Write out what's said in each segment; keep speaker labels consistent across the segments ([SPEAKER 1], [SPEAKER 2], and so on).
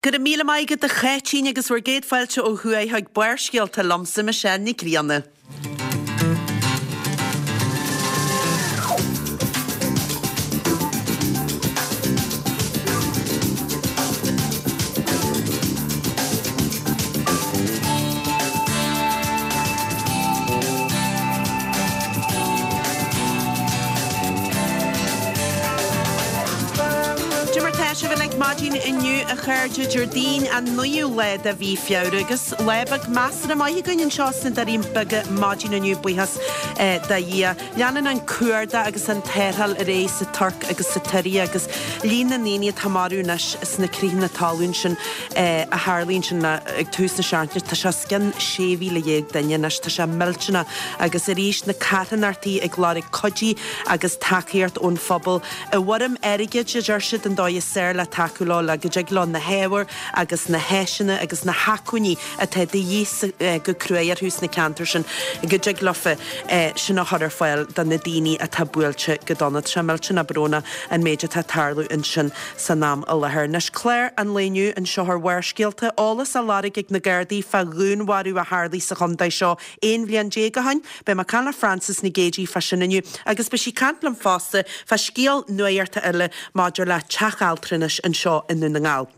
[SPEAKER 1] Go raibh míle maith agat a Cháitín agus bhur gcéad fáilte ó thuaidh chuig Barrscéalta liomsa, Michelle Nic Grianna. Cad é mar tá sibh uilig maidin inniu a chairde, Déardaoin an 9ú lá de mhí Feabhra agus lá beag measartha maith againn anseo sna Doirí Beaga maidin inniu, buíochas do Dhia. Leanann an cuardach agus an tarrtháil ar aghaidh sa Tuirc agus sa tSiria agus líon na ndaoine atá marbh anois sna critheanna talún sin a tharlaigh ansin ag tús na seachtaine, tá sé os cionn 16,000 duine anois, tá sé millteanach agus arís na carthanachtaí ag lorg cuidiú agus tacaíocht ón phobal i bhfoirm airgid, a deir siad, an dóigh is fearr le tacú leo le go dtig leo na hábhair agus na háiseanna agus na hacmhainní atá de dhíth go cruaidh orthu sna ceantair sin, go dtig leofa sin a chur ar fáil do na daoine atá buailte go dona. Tá sé millteanach brónach an méid atá ag tarlú ansin san am i láthair. Anois, clár an lae inniu anseo ar Bharrscéalta, eolas á lorg ag na Gardaí fá dhúnmharú a tharlaigh sa chontae seo 11 bhliain ó shin. Beidh mé ag caint le Frances Nic Géadaigh fá sin inniu agus beidh sí ag caint liom fosta fá scéal nuachta eile maidir le teach altranais anseo i nDún na nGall.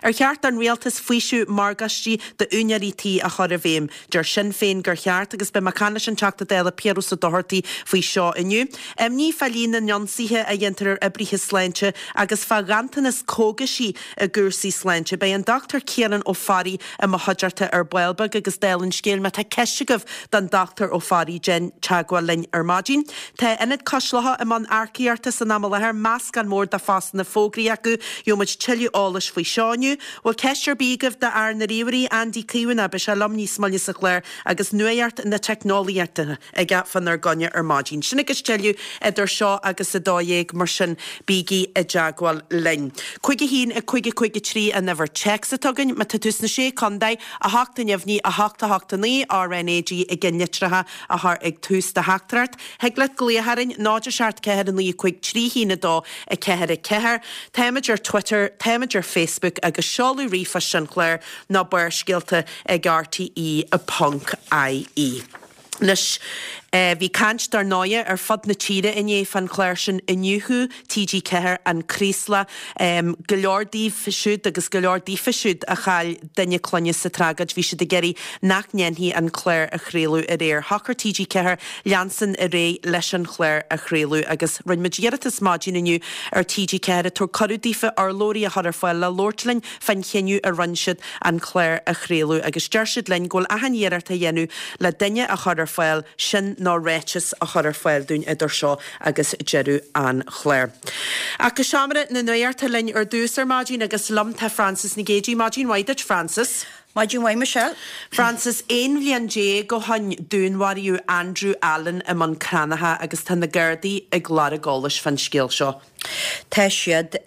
[SPEAKER 1] Ar cheart don rialtas faoiseamh morgáistí d'úinéirí tí a chur i bhfeidhm? Deir Sinn Féin gur cheart agus beidh mé ag caint leis an Teachta Dála Piaras Ó Dochartaigh faoi seo inniu. Imní fá líon na n-ionsaithe a dhéantar ar oibrithe sláinte agus fá ghanntanas cógaisí i gcúrsaí sláinte. Beidh an Dr Ciarán Ó Fearraigh i mo chuideachta ar ball beag agus dála an scéil má tá ceist agaibh don Dr Ó Fearraigh déan teagmháil linn ar maidin. Tá Ionad Cois Locha i mbun earcaíochta san am i láthair, meascán mór de phostanna fógraithe acu. Gheobhaidh muid tuilleadh eolais faoi seo inniu. Bhfuil ceist ar bith agaibh do fhear na ríomhairí, Andy Caomhánach? Beidh sé liom níos moille sa chlár agus nuacht na teicneolaíochta aige fánár gcoinne ar maidin. Sin agus tuilleadh idir seo agus 12, mar sin bígí i dteagmháil linn. 5 1 5 5 3 an uimhir téacs atá againn. Má tá tú sna Sé Contae, 8 neamhní 8 8 9 RNAG i gceannlitreacha a chur ag tús do theachtaireacht. Thig leat glaoch orainn, 0 7 4 9 5 3 1 2 4 4. Táimid ar Twitter, táimid ar Facebook agus seoladh ríomhphoist an chláir ná Barrscéalta ag rte ponc ie. Anois, bhí caint dar ndóighe ar fud na tíre inné fán chlár sin Iniúchadh TG4, An Craoslach. Go leor díobh siúd agus go leor daofa siúd a chaill duine clainne sa tragóid, bhí siad ag iarraidh nach ndéanfaí an clár a chraoladh aréir. Shocair TG4 leanstan ar aghaidh leis an chlár a chraoladh agus rinne muid iarratas maidin inniu ar TG4 tabhairt cuireadh daofa urlabhraí a chur ar fáil le labhairt linn fán chinneadh a rinne siad an clár a chraoladh agus deir siad linn go bhfuil achan iarracht á dhéanamh le duine a chur ar fáil, sin nó ráiteas a chur ar fáil dúinn idir seo agus deireadh an chláir. Ach go seomra na nuachta linn ar dtús ar maidin agus liom tá Frances Nic Géadaigh. Maidin mhaith duit, Frances.
[SPEAKER 2] Maidin mhaith, Michelle.
[SPEAKER 1] Frances, 11 bhliain ó shoin dúnmharaíodh Andrew Allen i mBun Cranncha agus tá na Gardaí ag lorg eolais fán scéal seo.
[SPEAKER 2] Tá siad.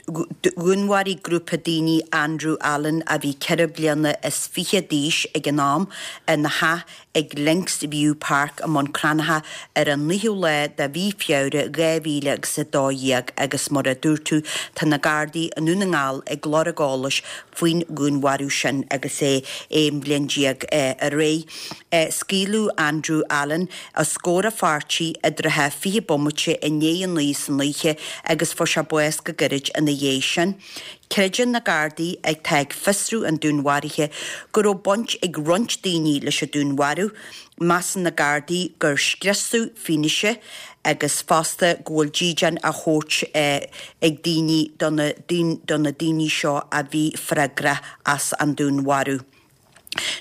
[SPEAKER 2] Dhúnmharaigh grúpa daoine Andrew Allen, a bhí ceithre bliana is fiche d'aois ag an am, ina theach ag Links View Park i mBun Cranncha ar an 9ú lá de mhí Feabhra 2012 agus mar a dúirt tú tá na Gardaí i nDún na nGall ag lorg eolais faoin dhúnmharú sin agus é 11 bhliain ar aghaidh. Scaoileadh Andrew Allen os comhair a pháirtí i dtrátha 20 bomaite i ndiaidh a 9 san oíche agus fuair sé bás go gairid ina dhiaidh sin. Creideann na Gardaí, atá ag fiosrú an dúnmharaithe, go raibh baint ag roinnt daoine leis an dúnmharú. Measann na Gardaí gur scriosadh fianaise agus fosta go bhfuil dídean á thabhairt ag daoine do na daoine seo a bhí freagrach as an dúnmharú.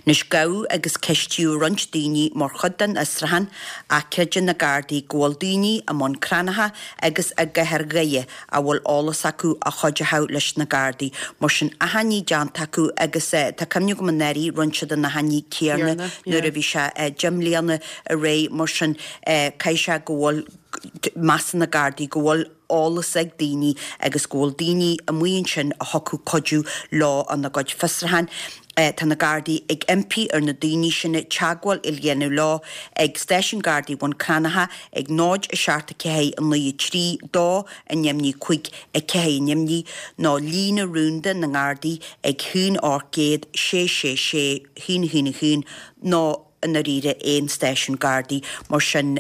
[SPEAKER 2] Anois gabhadh agus ceistíodh roinnt daoine mar chuid den fhiosrúchán ach creideann na Gardaí go bhfuil daoine i mBun Cranncha agus i gcathair Dhoire a bhfuil eolas acu a chuideochadh leis na Gardaí. Mar sin achainí déanta acu agus tá cuimhne agam anuraidh rinne siad an achainí céanna nuair a bhí sé 10 mbliana ar aghaidh mar sin caithfidh sé go bhfuil measann na Gardaí go bhfuil eolas ag daoine agus go bhfuil daoine amuigh ansin a thiocfadh cuidiú leo ina gcuid fiosrúchán. Tá na Gardaí ag impí ar na daoine sin teagmháil a dhéanamh leo ag Stáisiún Gardaí Bhun Cranncha ag 0 7 4 9 3 2 0 5 4 0 nó líne rúnda na nGardaí ag 1 800 6 6 6 1 1 1 nó i ndáiríre aon stáisiún Gardaí mar sin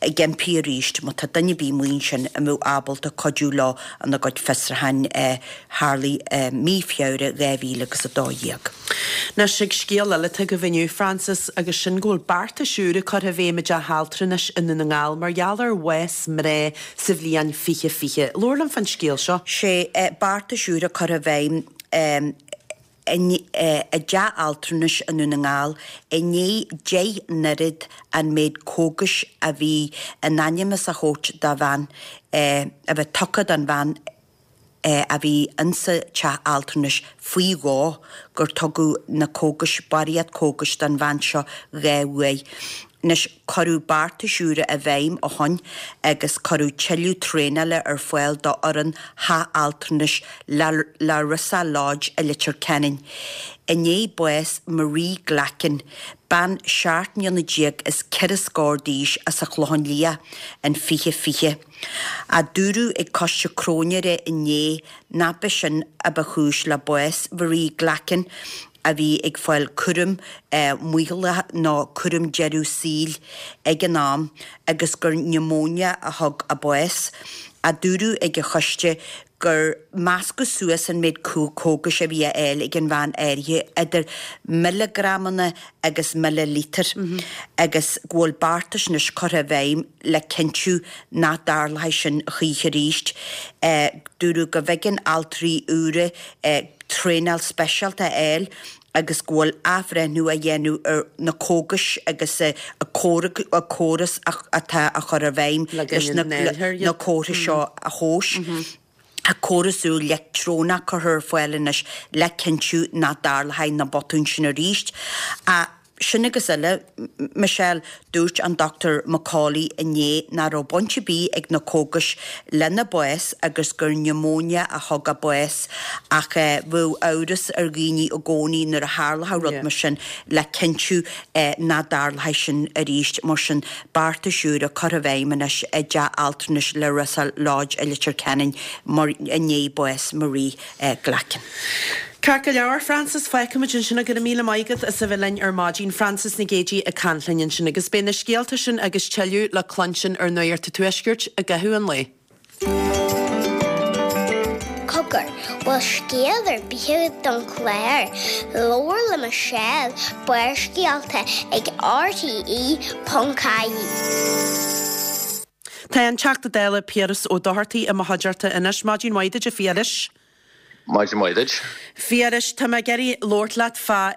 [SPEAKER 2] ag impí arís má tá duine ar bith amuigh ansin a mbeadh ábalta cuidiú leo ina gcuid fiosrúcháin a tharlaigh i mí Feabhra 2012.
[SPEAKER 1] Anois ag scéal eile atá agaibh inniu, Frances, agus sin go bhfuil beartais úra curtha i bhfeidhm i dteach altranais i nDún na nGall mar gheall ar bhás mná sa bhliain 2020. Labhair liom fán scéal seo.
[SPEAKER 2] Sé beartais úra curtha i bhfeidhm i dteach altranais i nDún na nGall i ndiaidh 10 n-oiread an méid cógais a bhí in ainm is a thabhairt do bhean a bheith tugtha don bhean a bhí insa teach altranais faoi dhó gur tugadh na cógais, barraíocht cógais don bhean seo 2 uair. Anois, cuireadh beartais úra i bhfeidhm ó shoin agus cuireadh tuilleadh traenála ar fáil do fhoireann Theach Altranais Larissa Lodge i Leitir Ceanainn. I ndiaidh bás Marie Glackin, bean 17 mbliana is ceithre scór d'aois as an Chlochán Liath, in 2020. A dúradh ag coiste cróinéara inné nach b'é sin a ba chúis le bás Mharie Glackin, a bhí ag fáil cúram maothaithe nó cúram deireadh saoil ag an am agus gur niomóinia a thug a bás. A dúradh ag an choiste gur meascadh suas an méid cógais a bhí á fháil ag an bhean áirithe idir milleagramanna agus millilítir agus go bhfuil beartais anois curtha i bhfeidhm le cinntiú nach dtarlóidh sin choíche arís. Dúradh go mb'éigean altraí úra traenáil speisialta a fháil agus go bhfuil athbhreithniú á dhéanamh ar na cógais agus an córas atá á chur i bhfeidhm leis na comharthaí seo a thomhas. Tá córas úr leictreonach curtha ar fáil anois le cinntiú nach dtarlóidh na botúin sin arís. Sin agus uile, Michelle, dúirt an Dr McCauley inné nach raibh baint ar bith ag na cógais lena bás agus gur niomóinia a thug a bás ach bheadh amhras ar dhaoine i gcónaí nuair a tharlódh rud mar sin le cinntiú nach dtarlóidh sin arís. Mar sin, beartais úra curtha i bhfeidhm anois i dteach altranais Larissa Lodge i Leitir Ceanainn mar i ndiaidh bás Marie Glackin.
[SPEAKER 1] Ceart go leor, Frances, fágfaimid ansin go raibh míle maith agat as a bheith linn ar maidin. Frances Nic Géadaigh ag caint linn ansin agus beidh na scéalta sin agus tuilleadh le cluinstin ar Nuacht an Tuaiscirt i gcaitheamh an lae.
[SPEAKER 3] Cogar, bhfuil scéal ar bith agat don chlár? Labhair le Michelle, Barrscéalta ag RTÉ.ie.
[SPEAKER 1] Tá an Teachta Dála Piaras Ó Dochartaigh i mo chuideachta anois. Maidin mhaith duit a Phiarais.
[SPEAKER 4] Maidin mhaith duit.
[SPEAKER 1] Phiarais, tá mé ag iarraidh labhairt leat fá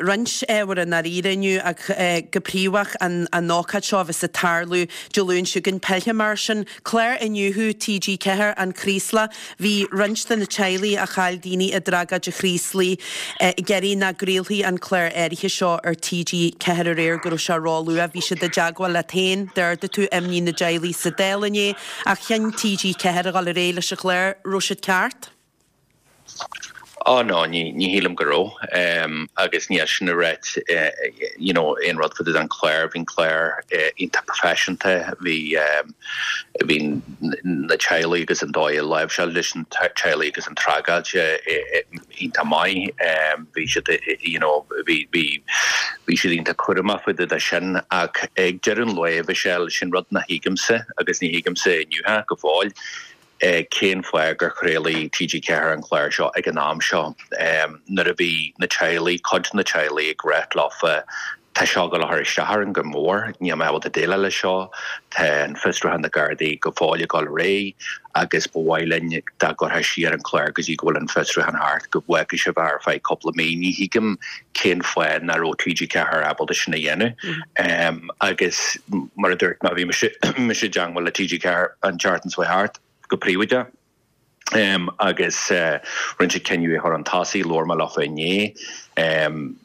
[SPEAKER 1] roinnt ábhar i ndáiríre inniu ach go príomhach an ócáid seo a bheas ag tarlú Dé Luain seo chugainn, pé mar sin. Clár Iniúchadh TG4, An Chraoslach. Bhí roinnt de na teaghlaigh a chaill daoine i dtragóid an Chraoslaigh ag iarraidh nach gcraolfaí an clár áirithe seo ar TG4 aréir, go raibh sé róluath. Bhí siad i dteagmháil leat féin, d'ardaigh tú imní na dteaghlaigh sa Dáil inné. Ach chinn TG4 a dhul ar aghaidh leis an chlár. Raibh siad ceart?
[SPEAKER 4] Á no, ní ní shílim go raibh. Agus níl sin ag ráit you know aon rud fá dtaobh den chlár. Bhí an clár iontach professionta, bhí bhí na teaghlaigh agus an dóigh a láimhseáil leis na teaghlaigh agus an tragóid iontach maith. Bhí siad you know bhí bhí bhí siad iontach cúramach fá dtaobh de sin ach ag deireadh an lae Michelle, sin rud nach thuigimse agus ní thuigimse inniu go fóill cén fáth gur chraolaigh TG4 an clár seo ag an am seo nuair a bhí na teaghlaigh, cuid de na teaghlaigh ag ráit leofa Tá seo ag dul a chur isteach orainn go mór, níl mé ábalta déileáil leis seo, tá an fiosrúchán na Gardaí go fóill ag dul ar aghaidh agus ba mhaith linn dá gcuirfeá siar an clár go dtí go bhfuil an fiosrúchán thart, go bhfágfaí sibh ar feadh cúpla mí. Ní thuigim cén fáth nach raibh TG4 ábalta sin a dhéanamh. Agus mar a dúirt mé, bhí mise i dteangmháil le TG4 an tseachtain seo thart, go príobháideach. Agus rinne siad cinneadh é a chur chun tosaigh, labhair mé leofa inné,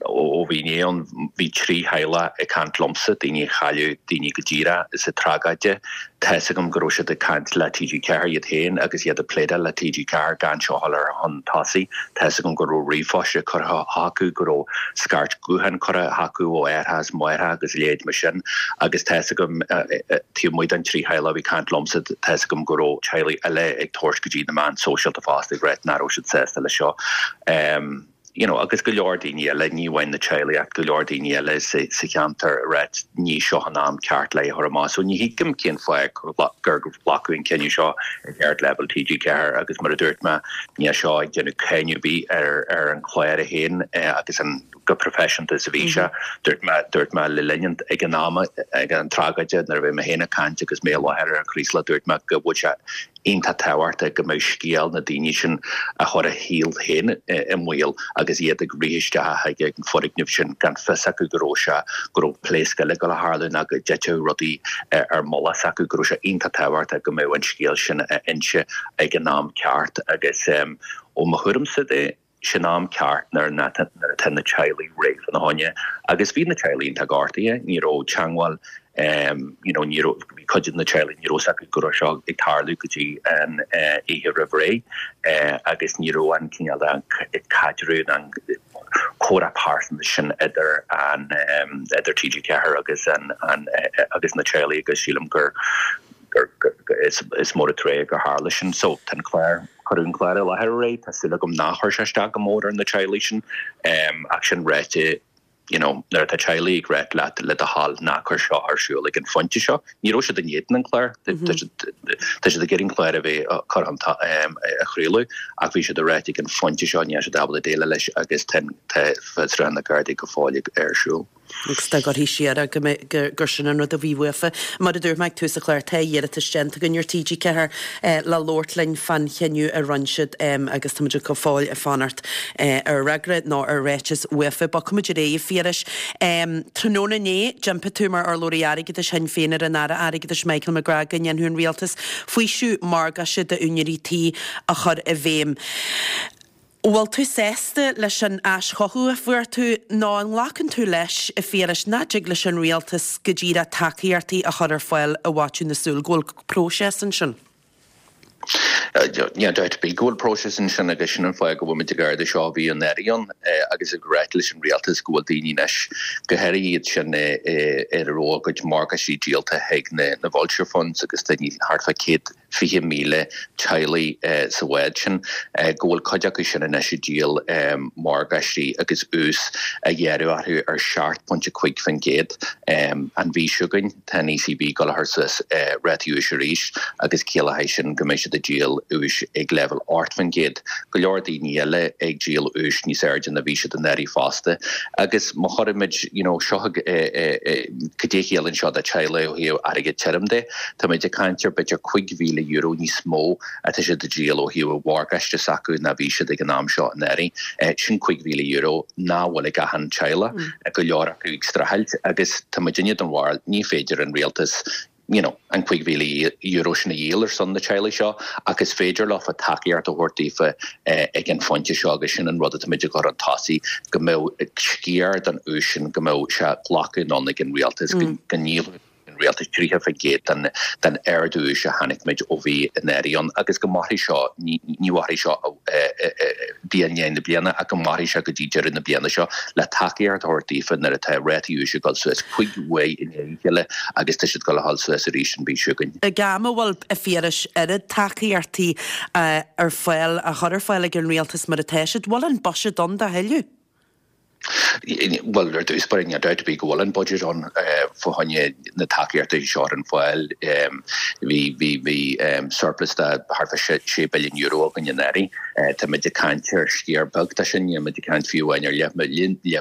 [SPEAKER 4] ó bhí inné ann, bhí 3 theaghlach ag caint liomsa, daoine a chailleadh daoine go díreach sa tragóid. Tá's agam go raibh siad ag caint le TG4 iad féin agus iad ag pléadáil le TG4 gan seo a chur chun tosaigh. Tá's agam go raibh ríomhphoist curtha chucu, go raibh scairt gutháin curtha chucu ó aithreacha is máithreacha agus a leithéid mar sin agus tá's agam, taobh amuigh den 3 theaghlach a bhí ag caint liomsa, tá's agam go raibh teaghlaigh eile ag tabhairt go dtí na meáin sóisialta fosta ag ráit nach raibh siad sásta leis seo. You know, agus go leor daoine eile, ní amháin na teaghlaigh ach go leor daoine eile sa cheantar ag ráit ní seo an am ceart le é a chur amach. So ní thuigim cén fáth gur glacadh an cinneadh seo ag ardleibhéal TG4 agus mar a dúirt mé, níl seo ag déanamh cáineadh ar bith ar an chlár é féin agus an chomh proifisiúnta is a bhí sé. Dúirt mé, dúirt mé le linn an, ag an am, ag an tragóide nuair a bhí mé féin ag caint agus mé i láthair ar an Chraoslach, dúirt mé go bhfuil sé iontach tábhachtach go mbeadh scéal na daoine sin a chuir a shaol féin i mbaol agus iad ag rith isteach chuig an foirgneamh sin gan fios acu go raibh sé, go raibh pléasc eile ag dul a tharlú ná go dtitfeadh rudaí ar mullach s'acu, go raibh sé iontach tábhachtach go mbeadh an scéal sin á inse ag an am ceart agus ó mo thuairimse de. Sin am ceart nuair atá na teaghlaigh réidh fána choinne. Agus bhí na teaghlaigh iontach gortaithe, ní raibh teangmháil you know ní raibh, bhí cuid de na teaghlaigh, ní raibh fhios acu go raibh seo ag tarlú go dtí an oíche roimh ré agus ní raibh an cineál de caidreamh ná an comhrá pearsanta sin idir an idir TG4 agus an agus na teaghlaigh agus sílim gur gur is mór an trua gur tharla sin. So tá an clár, cuireadh an clár i láthair aréir, tá súil agam nár chuir sé isteach go mór ar na teaghlaigh sin. Ach sin ráite, you know, nuair atá teaghlaigh ag ráit leat le do thoil ná cuir seo ar siúl ag an phointe seo, ní raibh siad in éadan an chláir, tá siad ag iarraidh an clár a bheith curtha a chraoladh ach bhí siad ag ráit ag an phointe seo níl siad ábalta déileáil leis agus tá fiosrúchán na Gardaí go fóill ar siúl.
[SPEAKER 1] Agus dá gcuirfí siar é go mbeadh, gur sin an rud a bhí uafa. Mar a dúirt mé ag tús an chláir, tá iarratas déanta againn ar TG4 le labhairt linn fán chinneadh a rinne siad agus táimid go fóill ag fanacht ar fhreagra nó ar ráiteas uafa. Bogfaimid ar aghaidh, a Phiarais. Tráthnóna inné, d'impigh tú mar urlabhraí airgeadais Shinn Féin ar an Aire Airgeadais Michael McGrath go ndéanfadh an Rialtas faoiseamh morgáiste d'úinéirí tí a chur i bhfeidhm. Bhfuil tú sásta leis an ais chucu a fuair tú nó an nglacann tú leis, a Phiarais, nach dtig leis an rialtas go díreach tacaíochtaí a chur ar fáil i bhfaiteadh na súl, go bhfuil próiseas ansin?
[SPEAKER 4] Níl dabht ar bith go bhfuil próiseas ansin agus sin an fáth go bhfuil muid ag ardú seo. Bhí an Aire ann agus ag ráit leis an rialtas go bhfuil daoine anois, go háirithe iad sin ar a raibh a gcuid morgáistí díolta chuig na vulture funds agus daoine thart fá 100 20,000 teaghlaigh sa bhád sin, go bhfuil cuid acu sin anois ag díol morgáistí agus ús á ghearradh orthu ar 7.5% an mhí seo chugainn. Tá an ECB ag dul a chur suas rátaí úis arís agus ciallóidh sin go mbeidh siad ag díol úis ag leibhéal 8%. Go leor daoine eile ag díol úis níos airde ná bhí siad anuraidh fosta. Agus má chuirimid, you know, seo, cad é a chiallaíonn seo do teaghlaigh ó thaobh airgead tirim de? Táimid ag caint ar b'fhéidir €5,000 níos mó atá siad ag díol ó thaobh an mhorgáiste s'acu ná bhí siad ag an am seo anuraidh. Sin €5,000 nach bhfuil ag achan teaghlach, go leor acu ag streachailt agus tá muidinne den bharúil ní féidir an rialtas you know an €5,000 sin a dhíol ar son na teaghlaigh seo ach is féidir leofa tacaíocht a thabhairt daofa ag an phointe seo agus sin an rud atáimid ag cur chun tosaigh go mbeadh sciar den ús sin go mbeadh sé glacadh anonn ag an rialtas go ndíolfadh an rialtas 30% den ardú úis a chonaic muid ó bhí an Aire ann agus go mairfidh seo, ní mhairfidh seo diaidh i ndiaidh na bliana ach go mairfidh sé go dtí deireadh na bliana seo le tacaíocht a thabhairt daofa nuair atá rátaí úis ag dul suas 5 uair i ndiaidh a chéile agus tá siad ag dul a dhul suas arís an mhí seo chugainn.
[SPEAKER 1] Ag am a bhfuil, a Phiarais, oiread tacaíochtaí ar fáil, á chur ar fáil ag an rialtas mar atá siad, bhfuil an buiséad ann dá thuilleadh?
[SPEAKER 4] Bhuel, ar dtús báire, níl dabht ar bith go bhfuil an budget ann fá choinne na tacaíochta seo ar fáil. Bhí, bhí, bhí surplus de thart fá €6 billiún againn anuraidh. Táimid ag caint ar sciar beag de sin, níl muid ag caint fiú amháin ar leath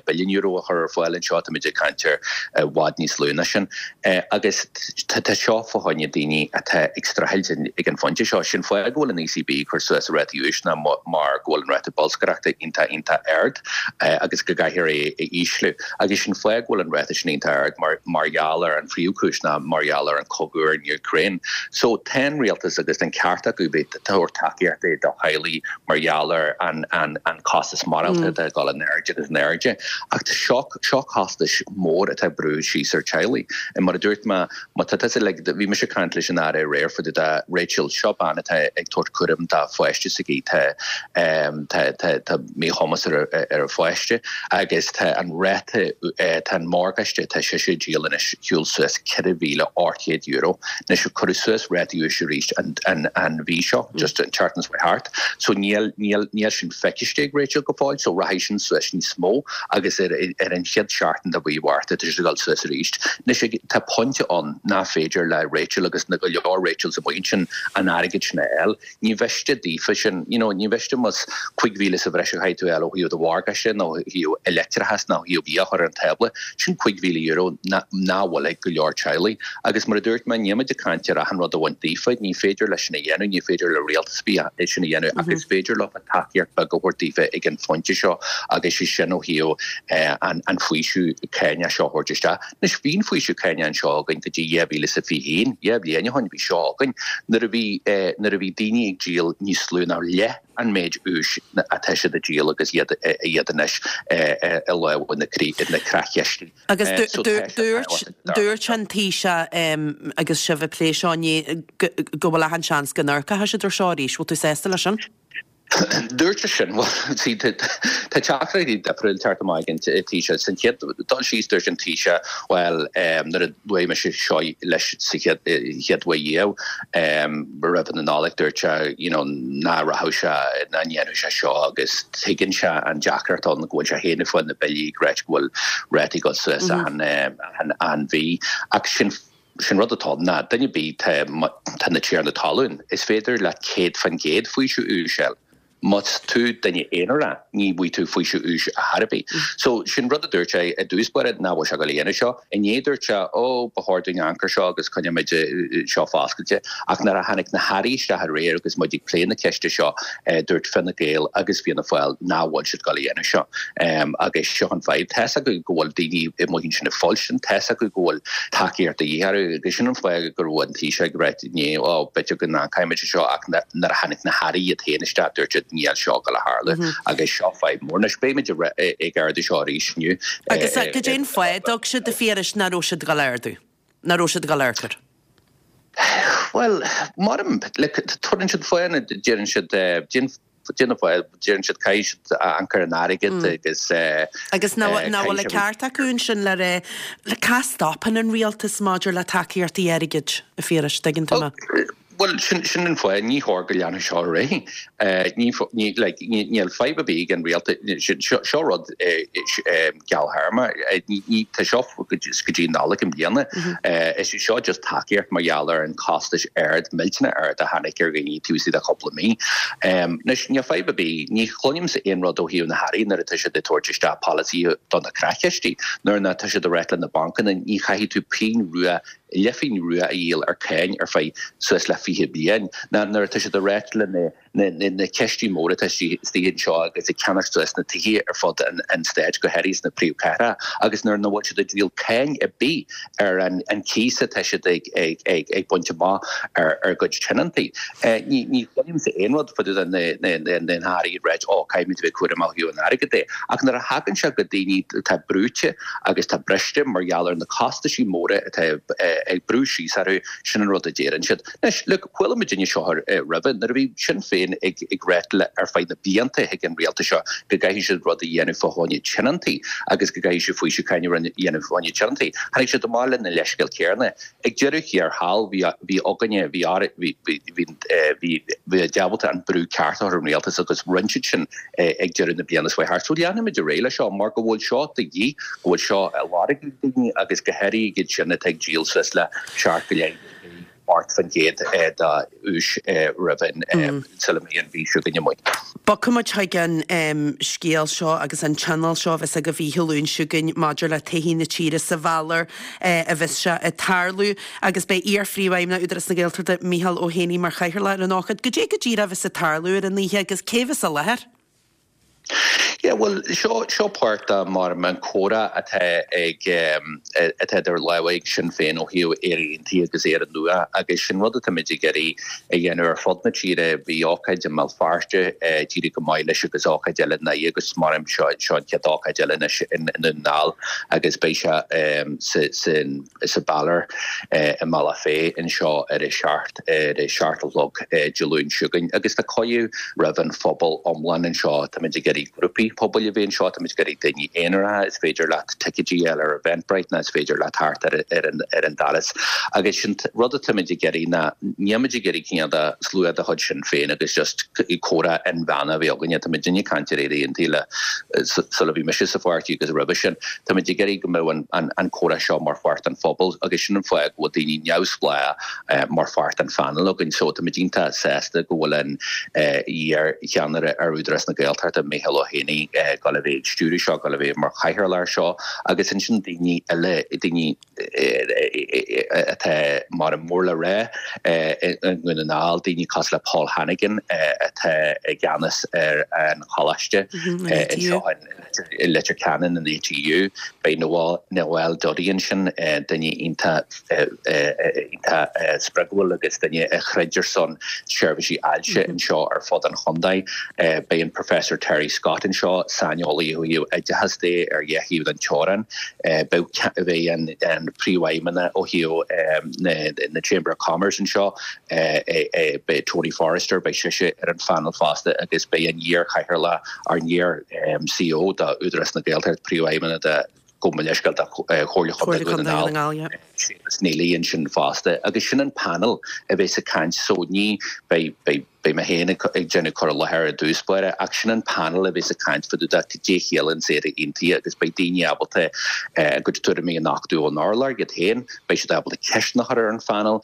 [SPEAKER 4] billiún euro a chur ar fáil anseo, táimid ag caint ar i bhfad níos lú ná sin. Agus tá seo fá choinne daoine atá ag streachailt ag an phointe seo. Sin fáth go bhfuil an ECB ag cur suas a rátaí úis ná mar go bhfuil an ráta bolscaireachta iontach, iontach ard agus go. gcaithfear é a ísliú. Agus sin fáth go bhfuil an ráta sin iontach ard mar mar gheall ar an phríomhchúis ná mar gheall ar an chogadh ar an Úcráin. So tá an rialtas agus tá an ceart acu bheith ag tabhairt tacaíochta do theaghlaigh mar gheall ar an an an costas maireachtála atá ag dul in airde agus in airde. Ach tá seo seo costais mór atá ag brú síos ar teaghlaigh. Mar a dúirt mé, má tá tusa like bhí mise ag caint leis an Aire aréir fá dtaobh de Rachel, seo bean atá ag tabhairt cúram dá pháiste s'aici, tá tá tá tá míchumas ar a ar a pháiste agus tá an ráta tá an morgáiste atá sise ag díol anois shiúil suas €4,800. Anois cuireadh suas ráta úis arís an an an mhí seo, just an tseachtain seo thart, so níl níl níl sin feiciste ag Rachel go fóill, so rachaidh sin suas níos mó agus ar ar an chéad seachtain de mhí Mhárta tá sé ag dul suas arís. Anois ag tá pointe ann nach féidir le Rachel agus na go leor Rachels amuigh ansin an airgead sin a fháil. Ní mhiste daofa sin, you know, ní mhiste más 5,000 sa bhreis a chaithfidh tú a fháil ó thaobh do mhorgáiste nó ó thaobh leictreachas nó ó thaobh bia a chur ar an tábla, sin €5,000 nach bhfuil ag go leor teaghlaigh. Agus mar a dúirt mé, níl muid ag caint ar achan rud a bhaint daofa, ní féidir leis sin a dhéanamh, ní féidir le rialtas ar bith é sin a dhéanamh ach is féidir leo tacaíocht beag a thabhairt daofa ag an phointe seo agus sé sin ó thaobh an faoiseamh cáinach seo a thabhairt isteach. Anois, bhí an faoiseamh cáinach anseo againn go dtí 2021, 2 bhliain ó shin bhí seo againn, nuair a bhí, nuair a bhí daoine ag díol níos lú ná leath an méid úis atá siad ag díol agus iad, iad anois i lámha na creachchistí.
[SPEAKER 1] Agus dúirt, dúirt an Taoiseach agus sibh ag plé seo inné go bhfuil achan seans go n-amharcfaidh siad ar seo arís. Bhfuil tú sásta leis sin?
[SPEAKER 4] Dúirt sé sin, bhuel, see, tá teachtaireachtaí difriúil ag teacht amach ag an Taoiseach. San chéad dul síos, dúirt an Taoiseach, bhuel, nuair a luaigh mise seo leis sa chéad chéad uair riamh, roimh na Nollag, dúirt sé, you know, ná rachadh sé, ná ndéanfadh sé seo agus tuigeann sé an deacracht ann go bhfuil sé féin ag fáil na billí ag ráit go bhfuil rátaí ag dul suas achan achan mhí. Ach sin Sin rud atá ann ná duine ar bith, tá tá na tiarna talún, is féidir leat 100% faoiseamh úis a fháil. Más tú duine aonarach, ní bhfaighidh tú faoiseamh úis ar chor ar bith. So, sin rud a dúirt sé i dtús báire, nach bhfuil sé ag dul a dhéanamh seo. Inné dúirt sé, ó, ba chóir dúinn amharc ar seo agus coinneoimid seo foscailte. Ach nuair a tháinig na hairí isteach aréir agus muid ag plé na ceiste seo, dúirt Fine Gael agus Fianna Fáil nach bhfuil siad ag dul a dhéanamh seo. Agus seo an fadhb. Tá's acu go bhfuil daoine amuigh ansin ag fuilstin, tá's acu go bhfuil tacaíocht de dhíth orthu agus sin an fáth go raibh an Taoiseach ag ráit inné, ó, b'fhéidir go n-amharcfaimid ar seo ach nuair a tháinig na hairí iad féin isteach dúirt siad níl seo ag dul a tharlú agus seo fadhb mór. Anois beimid ag ardú seo arís inniu.
[SPEAKER 1] Agus cad é an fáth a dtug siad a Phiarais nach raibh siad ag dul a ardú? Nach raibh siad ag dul a amharc air?
[SPEAKER 4] Bhuel, maram, like, tugann siad fáth, deireann siad, déanamh fáil, deireann siad caithfidh siad amharc ar an airgead agus.
[SPEAKER 1] Agus nach bhfuil an ceart acu ansin le rá, le cá stopann an rialtas maidir le tacaíochtaí airgid, a Phiarais, tuigeann tú mé?
[SPEAKER 4] Bhuel, sin, sin an fáth, ní chóir go leanfadh seo ar aghaidh. Ní, ní, like, ní, níl fadhb ar bith ag an rialtas, seo, seo rud gearrthéarma, ní, ní, tá seo go dtí Nollaig i mbliana. Is é seo just tacaíocht mar gheall ar an costais ard, millteanach ard a tháinig ar dhaoine taobh istigh de chúpla mí. Anois, níl fadhb ar bith, ní chluinimse aon rud ó thaobh na hairí nuair atá siad ag tabhairt isteach polasaithe do na creachchistí, nuair ná tá siad ag ráit le na bancanna, ní chaithfidh tú pingin rua leathphingin rua a dhíol ar cáin ar feadh suas le 20 bliain, ná nuair atá siad ag ráit le na na cistí móra atá istigh anseo agus ag ceannacht suas na tithe ar fud an stáit, go háirithe sna príomhchathracha, agus nuair nach bhfuil siad ag díol cáin ar bith ar an cíos atá siad ag baint amach ar a gcuid tionóntaí. Ní chluinimse aon rud fá dtaobh de na hairí ag ráit, ó, caithfimid a bheith cúramach ó thaobh an airgid de. Ach nuair a thagann sé go daoine atá brúite, agus tá briste mar gheall ar na costaisí móra atá ag brú síos orthu, sin an rud a deireann siad. Anois, look, chuala muidinne seo roimhe, nuair a bhí Sinn Féin ag ag ráit le ar feadh na blianta chuig an rialtas seo go gcaithfidh siad rud a dhéanamh fá choinne tionóntaí agus go gcaithfidh siad faoiseamh cáin a dhéanamh fá choinne tionóntaí, tháinig siad amach lena leithscéal céanna. Ag deireadh thiar thall, bhí bhí againne, bhí bhí bhí bhí bhí ábalta an brú ceart a chur ar an rialtas agus rinne siad sin. ag deireadh na bliana seo thart. So leanfaimid ar aghaidh leis seo mar go bhfuil seo de dhíth, go bhfuil seo á lorg ag daoine agus go háirithe iad sin atá ag díol suas le 7.8% de úis roimh an sula mbeidh an mhí seo chugainn amuigh.
[SPEAKER 1] Bogfaimid chuig an scéal seo agus an tionól seo a bheas agaibh oíche Luain seo chugainn maidir le todhchaí na tíre sa bhealach a bheas sé ag tarlú agus beidh iar-phríomhfheidhmeannach Údarás na Gaeltachta Micheál Ó hÉanaí mar chathaoirleach ar an ócáid. Goidé go díreach a bheas ag tarlú ar an oíche agus cé bheas i láthair?
[SPEAKER 4] Yeah, bhuel, seo, seo páirt de mar an comhrá atá ag, atá idir lámha ag Sinn Féin ó thaobh Éire Aontaithe agus Éire Nua agus sin rud atáimid ag iarraidh a dhéanamh ar fud na tíre. Bhí ócáid i mBéal Feirste, d'éirigh go maith leis agus ócáid eile i nDoire agus mar seo, seo an chéad ócáid eile anois i nDún na nGall agus beidh sé sa, sa, sa Balor i mBealach Féich anseo ar a 7, ar a 7 a chlog Dé Luain seo chugainn agus tá cuireadh roimh an phobal iomlán anseo. Táimid ag iarraidh grúpaí pobail a bheith anseo, táimid ag iarraidh daoine aonaracha, is féidir leat ticéidí a fháil ar Eventbrite nó is féidir leat theacht ar an ar an doras. Agus sin rud atáimid ag iarraidh ná nílimid ag iarraidh cineál de slua de chuid Sinn Féin agus just comhrá inmheánach a bheith againne. Táimid ag caint ar Éire Aontaithe le sula bhí mise sa pháirtí agus roimhe sin. Táimid ag iarraidh go mbeadh an comhrá seo mar pháirt den phobal agus sin an fáth go bhfuil daoine neamhspleách mar pháirt den phainéal againn. So táimid iontach sásta go bhfuil an iar-cheannaire ar Údarás na Gaeltachta, Micheál Ó hÉanaí, ag dul a bheith ag stiúradh seo, ag dul a bheith mar chathaoirleach air seo agus ansin daoine eile, daoine atá mar mór le rá i nDún na nGall, daoine cosúil le Paul Hannigan atá i gceannas ar an choláiste anseo i Leitir Ceanainn, an ATU. Beidh Noel Duddy ansin, duine iontach iontach spreagúil agus duine a throid ar son seirbhísí ailse anseo ar fud an chontae. Beidh an Professor Terry Scott anseo, saineolaí ó thaobh oideachas de ar dhá thaobh den teorainn. Beidh an príomhfheidhmeannach ó thaobh na Chamber of Commerce anseo, beidh Tony Forrester, beidh sise ar an phainéal fosta agus beidh an iar-chathaoirleach, ár n-iar-CEO d'Údarás na Gaeltachta, príomhfheidhmeannach de, gabh mo leithscéal, de Chomhairle Chontae Dhún na nGall, Séamus Neely ansin fosta agus sin an painéal a bheas ag caint so ní beidh, beidh, Beidh mé féin ag déanamh cur i láthair i dtús báire ach sin an panel a bheas ag caint fá dtaobh de cad é a chiallaíonns Éire Aontaithe agus beidh daoine ábalta a gcuid tuairimí a nochtadh ón urlár iad féin, beidh siad ábalta ceisteanna a chur ar an phanel,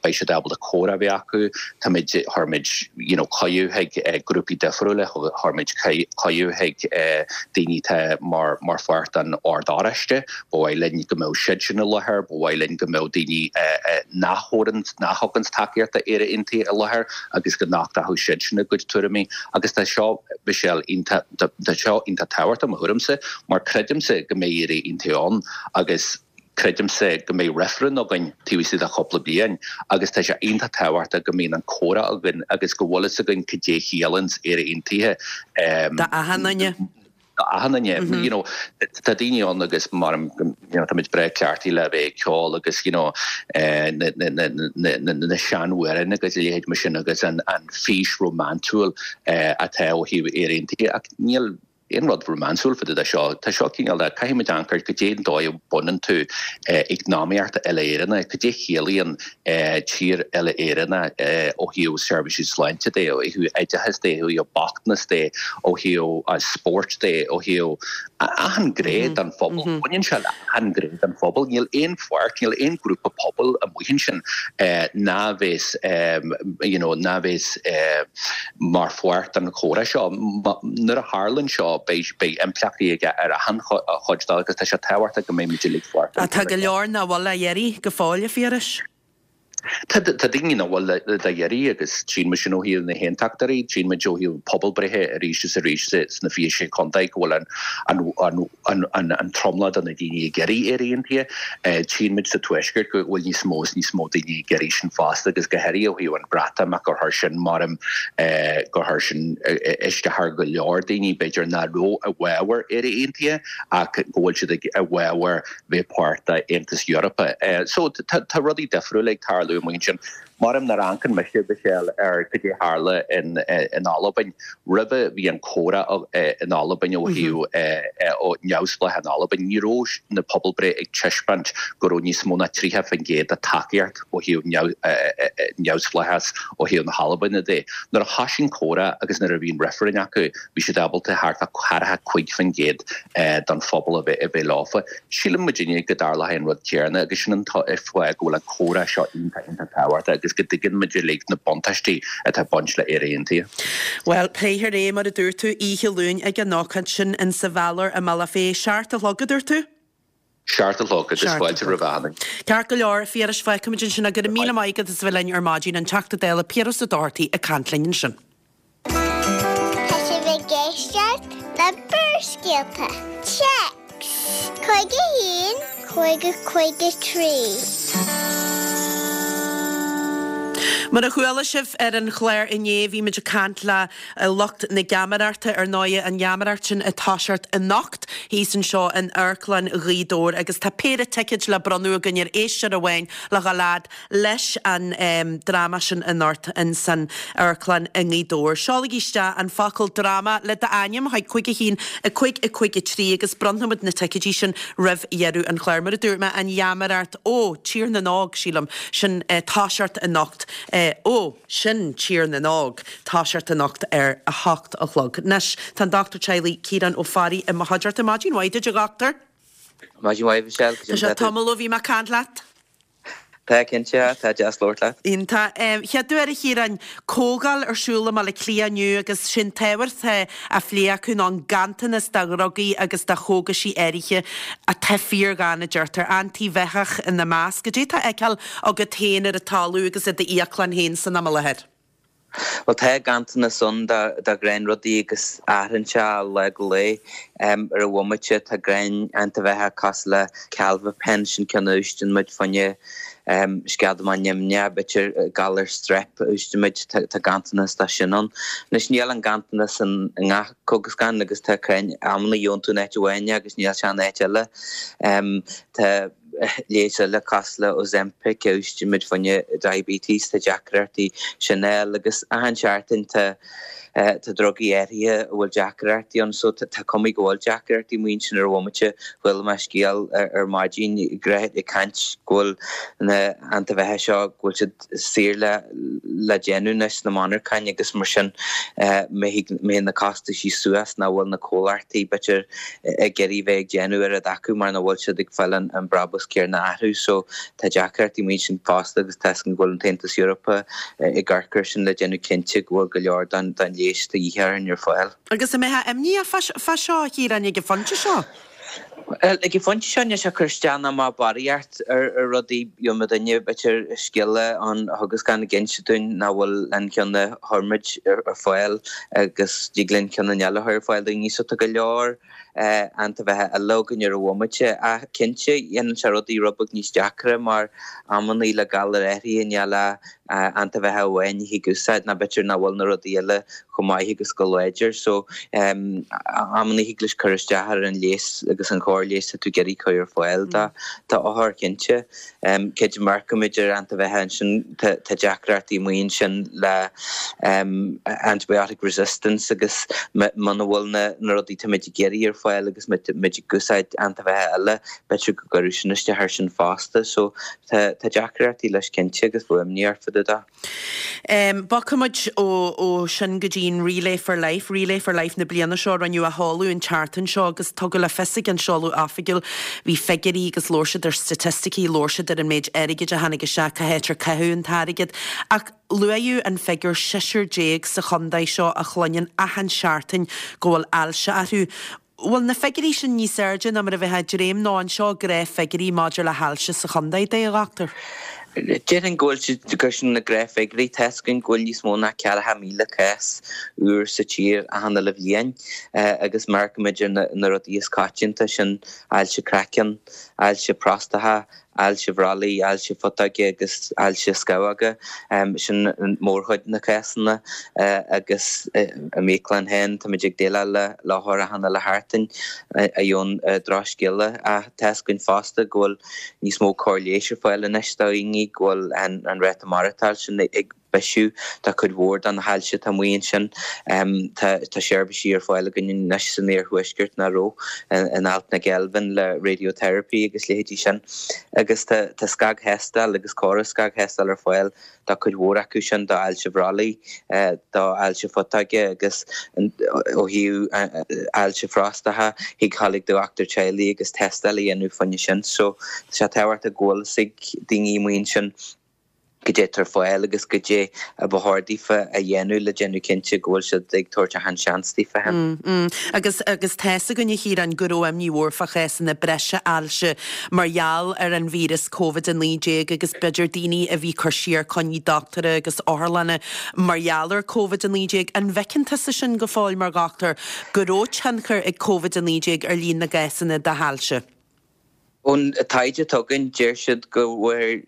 [SPEAKER 4] beidh siad ábalta comhrá a bheith acu. Táimid, chuir muid you know cuireadh chuig grúpaí difriúla, chuir muid cuireadh chuig daoine atá mar mar pháirt den Ord Oráiste, Ba mhaith linn go mbeadh siad sin i láthair, ba mhaith linn go mbeadh daoine nach thabharann, nach thuganns tacaíocht do Éire Aontaithe i láthair agus go nochtfadh siad sin a gcuid tuairimí. Agus tá seo, Michelle, iontach, tá seo iontach tábhachtach i mo thuairimse mar creidimse go mbeidh Éire Aontaithe ann agus creidimse go mbeidh reifreann againn taobh istigh de chúpla bliain agus tá sé iontach tábhachtach go mbíonn an comhrá againn agus go bhfuil fhios againn cad é chiallaíonns Éire Aontaithe.
[SPEAKER 1] Do achan duine.
[SPEAKER 4] achan duine. You know, tá daoine ann agus mar you know, táimid breá cleachtaithe le bheith ag ceol agus you know, eh, na, na, na, na, na, na seanamhráin agus a leithéid mar sin agus an, an fís rómánsúil eh, atá ó thaobh Éire Aontaithe ach níl aon rud rómánsúil fá dtaobh de seo. Tá seo cineál de, caithfidh muid amharc ar cad é an dóigh a bhaineann tú eh, eacnamaíocht uile-Éireannach, cad é a chiallaíonn tír uile-Éireannach ó thaobh seirbhísí sláinte de, ó thaobh oideachais de, ó thaobh bochtanas de, ó thaobh spóirt de, ó thaobh achan ghné den phobal. Baineann sé le achan ghné den phobal. Níl aon pháirt, níl aon ghrúpa pobail amuigh ansin ná bheas you know ná bheas mar pháirt den chomhrá seo. Nuair a tharlann seo beidh beidh impleachtaí aige ar achan chuid de agus tá sé tábhachtach go mbeidh muid uilig
[SPEAKER 1] páirteach. Tá go leor nach bhfuil á iarraidh go fóill, a Phiarais.
[SPEAKER 4] Tá daoine nach bhfuil dá iarraidh agus tchíonn muid sin ó thaobh na hAontachtóirí, tchíonn muid ó thaobh pobalbhreithe arís is arís sna 26 contae go bhfuil an tromlach de na daoine ag iarraidh Éire Aontaithe. Tchíonn muid sa Tuaisceart go bhfuil níos mó is níos mó daoine ag iarraidh sin fosta agus go háirithe ó thaobh an Bhreatimeacht gur chuir sin maram gur chuir sin isteach ar go leor daoine b'fhéidir nach raibh i bhfabhar Éire Aontaithe ach go bhfuil siad i bhfabhar bheith páirt d'Aontas Eorpach. So tá rudaí difriúla ag tarlú amuigh ansin. Maram nuair a amharcann mise, Michelle, ar cad é tharla in Albain, roimhe bhí an comhrá in Albain ó thaobh neamhspleáchas in Albain, ní raibh na pobalbreith ag taispeáint go raibh níos mó ná 30% de tacaíocht ó thaobh neamhspleáchas ó thaobh na hAlbaine de. Nuair a thoisigh an comhrá agus nuair a bhí an reifreann acu, bhí siad ábalta thart fá 45% den phobal a bheith a bheith leofa. Síleann muidinne go dtarlóidh an rud céanna agus sin an fáth go bhfuil an comhrá seo iontach iontach tábhachtach agus go dtuigeann muid uilig na buntáistí atá ag baint le Éire Aontaithe.
[SPEAKER 1] Bhuel, pléifear é, mar a dúirt tú, oíche Luain ag an ócáid sin in sa Bhalor i mBealach Féich. 7 a chlog, a dúirt tú?
[SPEAKER 4] 7 a chlog agus fáilte roimh achan duine.
[SPEAKER 1] Ceart go leor, a Phiarais, fágfaimid ansin é. Go raibh míle maith agat as a bheith linn ar maidin, an Teachta Dála Piaras Ó Dochartaigh ag caint linn ansin.
[SPEAKER 3] Tá sibh ag éisteacht le. le Barrscéalta. Téacs 51 50 53.
[SPEAKER 1] Mar a chuala sibh ar an chlár inné, bhí muid ag caint le lucht na geamaireachta, ar ndóigh, an gheamaireacht sin ag toiseacht anocht thíos anseo in Amharclann Ghaoth Dobhair agus tá péire ticéid le bronnadh againn ar éisteoir amháin le dhul fhad leis an dráma sin anocht in san amharclann i nGaoth Dobhair. Seolaigí isteach an focal 'dráma' le d'ainm chuig 5 1 5 5 3 agus bronnfaimid na ticéidí sin roimh dheireadh an chláir. Mar a dúirt mé, an gheamaireacht ó Tír na nÓg, sílim, sin toiseacht anocht. Ó, sin Tír na nÓg, toiseacht anocht ar a hocht a chlog. Anois, tá an Dochtúir Teaghlaigh Ciarán Ó Fearraigh i mo chuideachta. Maidin mhaith duit, a dhochtúir.
[SPEAKER 5] Maidin mhaith, Michelle.
[SPEAKER 1] Tá sé tamall ó bhí mé ag caint leat.
[SPEAKER 5] Tá, cinnte, tá deas labhairt leat.
[SPEAKER 1] Iontach. Chéad uair a Chiaráin, comhdháil ar siúl i mBaile Átha Cliath inniu agus sé'n t-ábhar atá á phlé acu ná an ganntanas de dhrugaí agus de chógaisí áirithe atá fíorghann, a deirtear, antaibheathach ina measc. Cad é atá á fheiceáil agat féin ar an talamh agus i d'íoclann féin san am i láthair?
[SPEAKER 5] Bhuel, tá ganntanas ann de ghnáthrhudaí agus athraíonn sé ó lá go lá. Ar an bhomaite, tá gnáth-antaibheathach cosúil le Calviphen, sin ceann a úsáideann muid fá choinne sceadamán nimhneach, b'fhéidir galar strep a úsáideann muid, tá ganntanas de sin ann. Anois, níl an ganntanas i ngach cógaslann agus tá crainn amanna gheobhann tú in áit amháin é agus níl sé in áit eile. Tá. leigheas eile cosúil le Ozempic a úsáideann muid fá choinne diabetes, tá deacrachtaí sin a fháil agus achan seachtain tá tá drugaí áirithe a bhfuil deacrachtaí ann so tá cuma go bhfuil deacrachtaí amuigh ansin ar an bhomaite. Chuala mé scéal ar maidin ag caint go bhfuil na antaibheathaigh seo go bhfuil siad saor le le déanamh anois sna monarcháin agus mar sin mbeidh na costaisí suas nach bhfuil na comhlachtaí b'fhéidir ag iarraidh bheith ag déanamh oiread acu mar nach bhfuil siad ag fáil an brabús céarna orthu so tá deacrachtaí amuigh ansin fosta agus tá a fhios againn go bhfuil an tAontas Eorpach ag amharc air sin le déanamh cinnte go bhfuil go leor den leigheas atá de dhíth orainn ar fáil.
[SPEAKER 1] Agus an mbeifeá imníoch fá seo, a Chiaráin, ag an phointe seo?
[SPEAKER 5] Ag an phointe seo níl sé ag cur isteach ná amach barraíocht ar rudaí. Gheobhaidh duine b'fhéidir scéala ón chógaslann ag inse dúinn nach bhfuil an ceann a chuir muid ar fáil agus dtig linn ceann eile a chur ar fáil daoine. So tá go leor antaibheathaigh eile againn ar an bhomaite. Ach cinnte dhéanann sé rudaí rud beag níos deacra mar amannaí le galair áirithe níl ach antaibheathach amháin a thig úsáid nó b'fhéidir nach bhfuil na rudaí eile chomh maith agus chomh láidir. So amannaí thig leis cur isteach ar an leigheas agus an chóir leighis atá tú ag iarraidh cur ar fáil do d'othar cinnte. Cé go n-amharcaimid ar antaibheathach ansin tá deacrachtaí amuigh ansin le antibiotic resistance agus muna bhfuil na rudaí táimid ag iarraidh ar fáil agus muid ag úsáid antaibheathach eile b'fhéidir go gcuirfeadh sin isteach air sin fosta. So Tá deacrachtaí leis cinnte agus bheadh imní ort fá dtaobh
[SPEAKER 1] de. Bogfaimid ó sin go dtí an Relay for Life, Relay for Life na bliana seo, rinneadh a sheoladh an tseachtain seo agus tugadh le fios ag an seoladh oifigiúil, bhí figiúirí agus labhair siad ar staitisticí, labhair siad ar an méid airgid a tháinig isteach, cá háit ar caitheadh an t-airgead ach luaíodh an figiúr seisear déag sa chontae seo a chluineann achan seachtain go bhfuil ailse orthu. Bhfuil na figiúirí sin níos airde ná mar a bheifeá ag dréim nó an seo gnáthfhigiúirí maidir le hailse sa chontae, a dhochtúir?
[SPEAKER 5] Déarfainn go bhfuil siad gur sin na gnáthfhigiúirí. Tá 'fhios againn go bhfuil níos mó ná 40,000 cás úr sa tír achan uile bhliain agus má amharcaimid ar na rudaí is coitianta, sin ailse craicinn, ailse próstata, ailse bhrollaigh, ailse phutóige agus ailse scamhóga. Sin mórchuid na cásanna agus i m'íoclann féin táimid ag déileáil le hothar achan uile sheachtain a gheobhann drochscéala. Ach tá 'fhios againn fosta go bhfuil níos mó cóir leighis ar fáil anois do dhaoine, go bhfuil an ráta maireachtáil sin ag bisiú do chuid mhór de na hailse atá amuigh ansin. Tá seirbhísí ar fáil againn anois san iarthuaisceart nach raibh in Alt na Geilbhinn le radiotherapy agus leithéidí sin. Agus tá scagthástáil agus córas scagthástáil ar fáil do chuid mhór acu sin, do ailse bhrollaigh, do ailse phutóige agus ó thaobh ailse phróstata, thig dhul ag do dhochtúir teaghlaigh agus tástáil a dhéanamh fá choinne sin. So tá sé tábhachtach go bhfuil fhios ag daoine amuigh ansin. Goidé atá ar fáil agus goidé a ba chóir daofa a dhéanamh le déanamh cinnte go bhfuil siad ag tabhairt achan seans daofa
[SPEAKER 1] féin. Agus agus tá's againn a Chiaráin go raibh imní mhór fá chásanna breise ailse mar gheall ar an víreas Covid-19 agus b'fhéidir daoine a bhí cur siar coinní dochtúra agus otharlanna mar gheall ar Covid-19. An bhfeiceann tusa sin go fóill mar dhochtúir go raibh tionchar ag Covid-19 ar líon na gcásanna de hailse?
[SPEAKER 5] Ón taighde atá againn, deir siad go bhfuair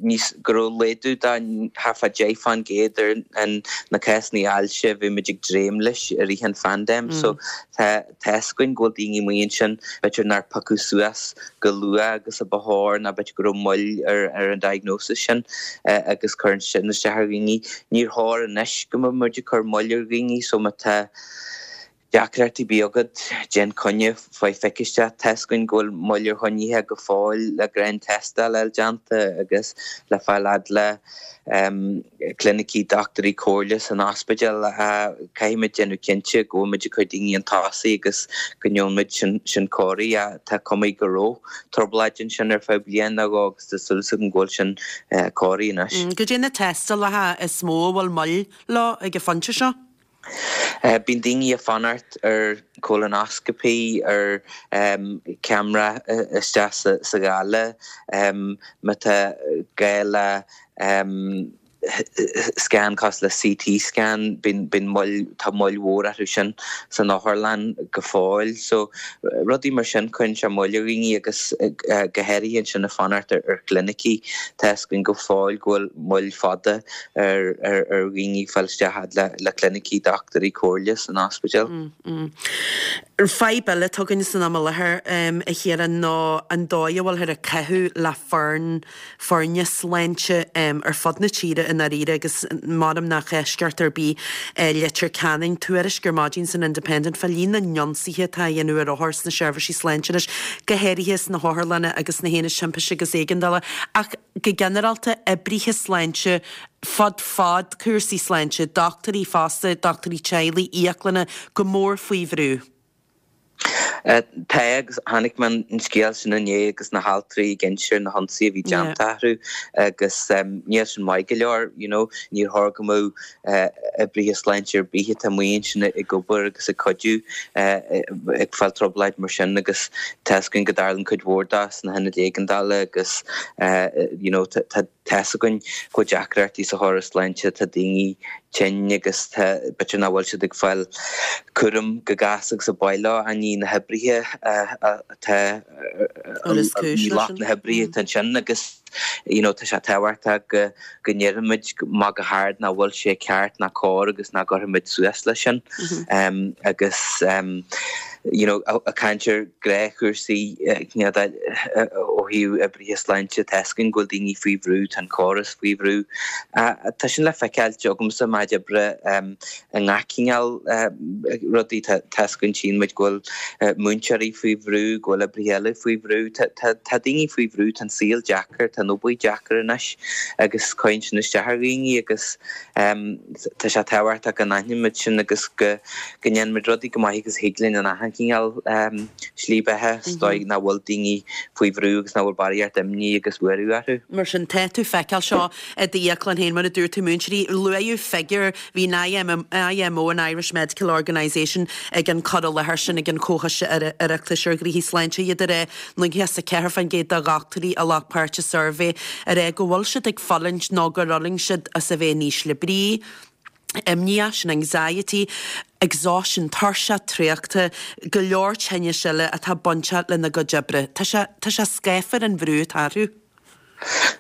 [SPEAKER 5] níos, go raibh laghdú de thart fá 10% ar an na cásanna ailse a bhí muid ag dréim leis i rith an phaindéim. So tá tá's againn go bhfuil daoine amuigh ansin, b'fhéidir nár piocadh suas go luath agus a ba chóir nó b'fhéidir go raibh moill ar ar an diagnosis sin agus cuireann sin isteach ar dhaoine. Níor chóir anois go mbeadh muid ag cur moill ar dhaoine so má tá Deacrachtaí ar bith agat, déan coinne, faigh pic isteach. Tá's againn go bhfuil moill ar choinnithe go fóill le gnáth-tástáil a fháil déanta agus le fáil fhad le clinicí dochtúirí comhairle san ospidéal. Caithfidh muid déanamh cinnte go bhfuil muid ag cur daoine chun tosaigh agus go ndéanann muid sin cóirithe. Tá cuma go raibh trioblóid ansin ar feadh bliain nó dhó agus tá súil agam go bhfuil sin cóirithe anois.
[SPEAKER 1] Goidé na tástálacha is mó a bhfuil moill leo ag an phointe seo?
[SPEAKER 5] Bíonn daoine ag fanacht ar colonoscopy, ar ceamara isteach sa ghaile, má tá gá le scan cosúil le CT scan, bíonn moill, tá moill mhór orthu sin san otharlann go fóill. So rudaí mar sin, cuireann sé moill ar dhaoine agus go háirithe ansin ag fanacht ar chlinicí, tá fhios againn go fóill go bhfuil moill fada ar dhaoine fáil isteach fhad le clinicí dochtúirí comhairle san ospidéal.
[SPEAKER 1] Fadhb eile atá againn san am i láthair, a Chiaráin, ná an dóigh a bhfuilthear ag caitheamh le foireann, foirne sláinte ar fud na tíre i ndáiríre agus measaim nach eisceacht ar bith é Leitir Ceanainn. Tuairisc ar maidin san Independent fá líon na n-ionsaithe atá á dhéanamh ar othair sna seirbhísí sláinte anois, go háirithe sna hotharlanna agus sna haonaid timpiste agus éigeandála. Ach go ginearálta, oibrithe sláinte fud fad cúrsaí sláinte, dochtúirí fosta, dochtúirí teaghlaigh, íoclanna, go mór faoi bhrú.
[SPEAKER 5] Tá, agus chonaic mé an scéal sin inné agus na haltraí ag inse ar na hionsaithe a bhí déanta orthu agus níl sin maith go leor, you know, níor chóir go mbeadh oibrithe sláinte ar bith atá amuigh ansin ag obair agus ag cuidiú ag fáil trioblóid mar sin agus tá fhios againn go dtarlaíonn cuid mhór dó sna hionaid éigeandála agus you know tá fhios againn go bhfuil deacrachtaí sa chóras sláinte, tá daoine tinn agus tá b'fhéidir nach bhfuil siad ag fáil cúram go gasta agus a ba mhaith leo ach ní na hoibrithe atá ní lucht na hoibrithe atá ansin agus you know tá sé tábhachtach go go ndéarfaimid amach go hard nach bhfuil sé ceart ná cóir agus nach gcuirfimid suas leis sin agus you know ag caint ar gnáthchúrsaí ó thaobh oibrithe sláinte tá fhios againn go bhfuil daoine faoi bhrú, tá an córas faoi bhrú. Tá sin le feiceáil agamsa i m'áit oibre i ngach cineál rudaí. Tá fhios againn, tchíonn muid go bhfuil múinteoirí faoi bhrú, go bhfuil oibrithe eile faoi bhrú. Tá daoine faoi bhrú, tá an saol deacair, tá an obair deacair anois agus cuireann sin isteach ar dhaoine agus tá sé tábhachtach go n-aithnímid sin agus go ndéanaimid rudaí chomh maith agus a thig linn in achan chineál slí beatha sa dóigh nach bhfuil daoine faoi bhrú agus nach bhfuil barraíocht imní agus buaireamh orthu.
[SPEAKER 1] Mar sin, tá tú ag feiceáil seo i d'íoclann féin, mar a dúirt tú, múinteoirí, luaíodh figiúr, bhí an IMO, an Irish Medical Organisation, ag an cur i láthair sin ag an Chomhchoiste Oireachtais ar Ghnóthaí Sláinte, iad ag rá 94% de dhochtúirí a ghlac páirt i suirbhé ag rá go bhfuil siad ag fulaingt nó gur fhulaing siad as a bheith in ísle brí, imníoch, sin anxiety, exhaustion, tuirseach, traochta, go leor tinnis eile atá bainteach lena gcuid oibre. Tá sé, tá sé scáfar an bhrú atá orthu.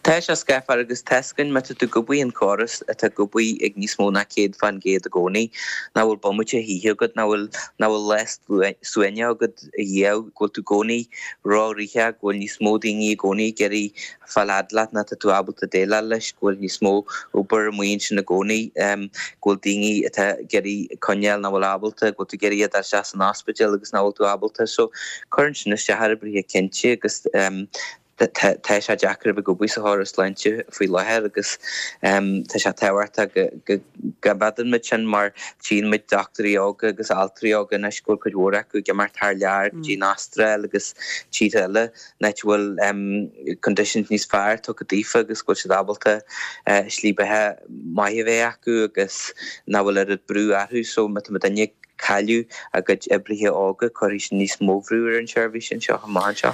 [SPEAKER 5] Tá sé scáfar agus tá fhios againn má tá tú ag obair in córas atá ag obair ag níos mó ná 100% i gcónaí, nach bhfuil bomaite choíche agat, nach bhfuil, nach bhfuil lá suaimhneach agat riamh, go bhfuil tú i gcónaí ró-rithreach, go bhfuil níos mó daoine i gcónaí ag iarraidh fáil fhad leat ná tá tú ábalta déileáil leis, go bhfuil níos mó obair amuigh ansin i gcónaí, go bhfuil daoine atá ag iarraidh coinneáil nach bhfuil ábalta, go bhfuil tú ag iarraidh a dhul isteach san ospidéal agus nach bhfuil tú ábalta. So cuireann sin isteach ar oibrithe cinnte agus. Tá sé deacair a bheith ag obair sa chóras sláinte faoi láthair agus tá sé tábhachtach go gcoimeádann muid sin mar tchíonn muid dochtúirí óga agus altraí óga anois go bhfuil cuid mhór acu ag imeacht thar lear go dtí an Astráil agus tíortha eile an áit a bhfuil conditions níos fearr tugtha daofa agus go bhfuil siad ábalta slí beatha maith a bheith acu agus nach bhfuil oiread brú orthu so má tá muidinne ag cailleadh a gcuid oibrithe óga, cuirfidh sin níos mó bhrú ar an seirbhís anseo amach anseo.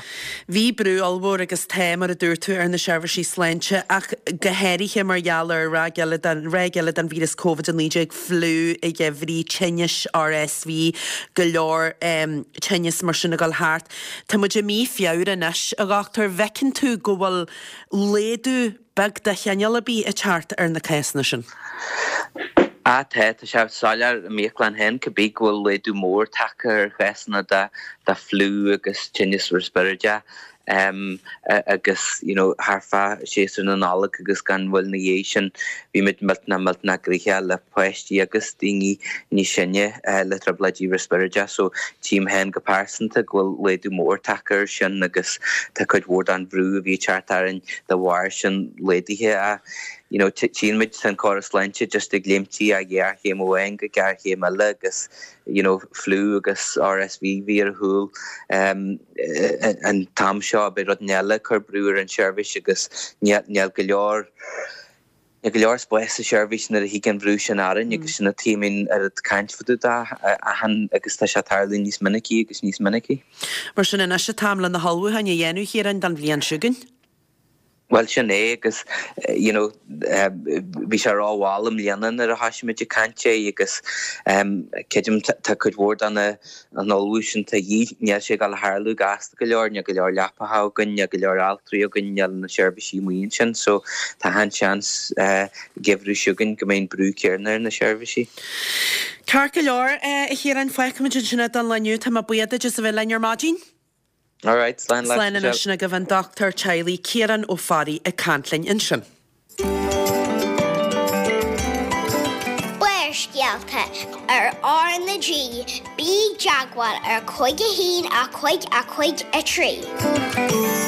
[SPEAKER 1] Bhí brú ollmhór agus tá, mar a dúirt tú, ar na seirbhísí sláinte ach go háirithe mar gheall ar ráig eile den, ráig eile den víreas Covid-19, fliú an gheimhridh, tinnis RSV, go leor tinneas mar sin ag dul thart. Tá muid i mí Feabhra anois, a dhochtúir, an bhfeiceann tú go bhfuil laghdú beag de chineál ar bith ag teacht ar na cásanna sin?
[SPEAKER 5] Á tá, tá sé soiléir i m'íoclann féin cibé go bhfuil laghdú mór tagtha ar chásanna de fliú agus tinneas riospráide agus you know thart fá séasúr na Nollag agus gan mhoill ina dhiaidh sin bhí muid millteanach millteanach gnoitheach le páistí agus daoine níos sine le trioblóidí riospráide so tchím féin go pearsanta go bhfuil laghdú mór tagtha air sin agus tá cuid mhór den bhrú a bhí ag teacht orainn de bharr sin laghdaithe ach you know tchíonn muid tá an córas sláinte just ag léimtí ó ghéarchéim amháin go géarchéim eile agus you know fliú agus RSV bhí ar shiúl an t-am seo beidh rud eile ag cur brú ar an seirbhís agus níl go leor Níl go leor spáis sa seirbhís nuair a thig an bhrú sin orainn agus sin an tuige a mbíonn oiread caint fá dtaobh de achan agus tá sé ag tarlú níos minicí agus níos minicí.
[SPEAKER 1] Mar sin anois an t-am le na hullmhúcháin a dhéanamh, Chiaráin, don bhliain seo chugainn.
[SPEAKER 5] Bhuel sin é agus you know bhí sé ró-mhall i mbliana nuair a thoisigh muid ag caint air agus creidim tá cuid mhór de na an ullmhú sin de dhíth, níl sé ag dul a tharlú gasta go leor, níl go leor leapacha againn, níl go leor altraí againn, níl na seirbhísí amuigh ansin so tá an-seans geimhreadh seo chugainn go mbeidh an brú céanna ar na seirbhísí.
[SPEAKER 1] Ceart go leor, a Chiaráin, fágfaimid ansin é don lá inniu. Tá mé buíoch duit as a bheith linn ar maidin.
[SPEAKER 5] Alright, slán
[SPEAKER 1] leat, Slán anois, sin agaibh an dochtúir teaghlaigh Ciarán Ó Fearraigh ag caint linn ansin.
[SPEAKER 3] Barrscéalta ar R na G, bí i dteagmháil ar 5 1 5 5 3.